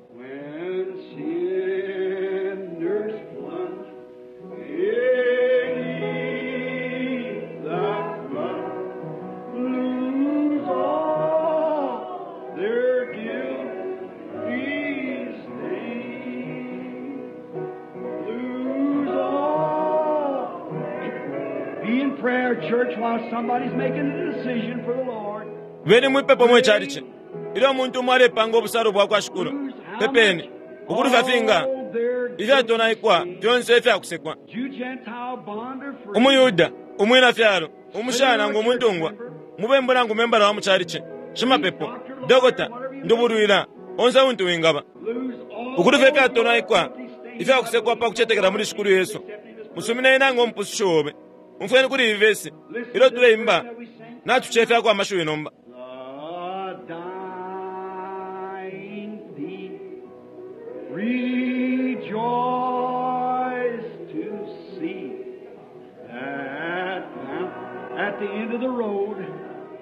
Lose all their guilt. church while somebody's making a decision for the Lord. Beni mwipepo mwe chalichi ilyo umuntu umo alepanga obusalo bwakwa Shikulu, pepeni ukulufya finga ifyatonaikwa fyonse ifyakusekwa. Jew, Gentile, bond or free. Umuyuda, umwina fyalo, umushana nangu umuntungwa, mubembu nangu membala wa muchalichi, shimapepo, dokota, ndubulwila, onse untu wingaba. Lose all Ukulufya ifyatonaikwa ifyakusekwa pa kucetekela muli Shikulu Yesu. Musumine nangu omupususho obe. Umfweni kuli iyi vesi ilyo tuleimba, natucefyako amashiwi nomba. The dying thief rejoice to see that now at the end of the road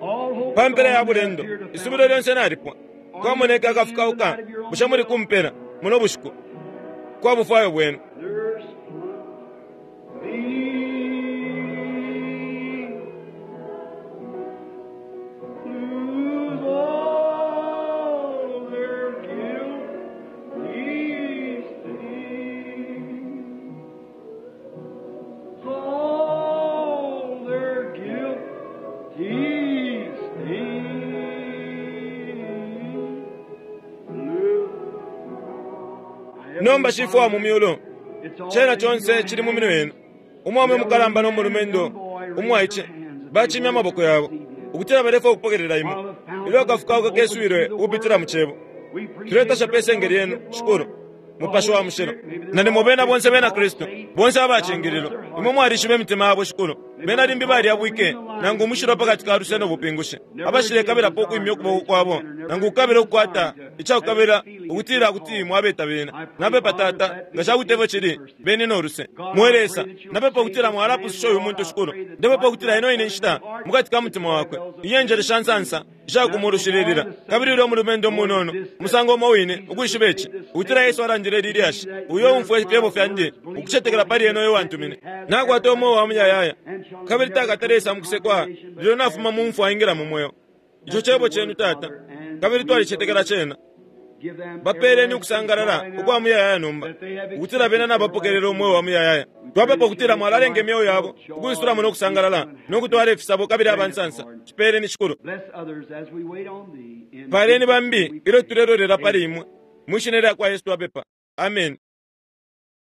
all hope Pa mpela ya gone bulendo, appeared a isubilo fountain. lyonse nalipwa. Kwamoneka akafukauka, bushe muli kumpela muno bushiku kwa bufwayo bwenu. There's thee. Lose all their guilty stain. All their guilty stain. Nomba shifwe wa mu myulu, chena chonse chili mu minwe yenu. Umwaume mukalamba n'omulumendo umwaiche bachimya amaboko yabo ukutila balefa okupokelela imwe ilyo akafukauka keswile ukupitila mu chebo. Tuletasha pe senge lyenu Shikulu Mupashi wa mushilo, na nimwe bena bonse bena Kristu bonse abachingililo. Imwe mwalishiba imitima yabo Shikulu, bena limbi balyabwike nangu umushilo pakati ka luse no bupingushi, abashilekabelapo ukwimya ukuboko kwabo nangu kukabila ukukwata icakukabila ukutila kuti mwabeta bena. Napepa Tata nga cakuti efyo cili beni no luse. Mwe Lesa, napepa ukutila mwalapususha uyu muntu Shikulu. Ndepepa ukutila ino ine nshita mukati ka mutima wakwe inyenjele sha nsansa ishakumurushililila, kabili ulya omulumendo munono musango umo wine ukwishiba ici ukutila Yesu alandile lilyashi, uyo umfwa ifyebo fyandi ukucetekela pali ena uyo wantumine nakwata umweo wa muyayaya, kabili takatalesa mukusekwa lelo nafuma mu mfwa aingila mu mweo. Ico cebo cenu Tata, kabili twalicetekela cena. Bapeleni ukusangalala ukwa muyayaya nomba, ukutila bena nabapokelela umweo wa muyayaya. Twapepa ukutila mwalalenga imyeo yabo ukwisulamo no kusangalala no kutwala ifisabo kabili abansansa. Cipeleni Shikulu. Bless others as we wait on thee. In Paleni bambi ilyo tulelolela pali imwe. Mwishina lya kwa Yesu twapepa. Amen.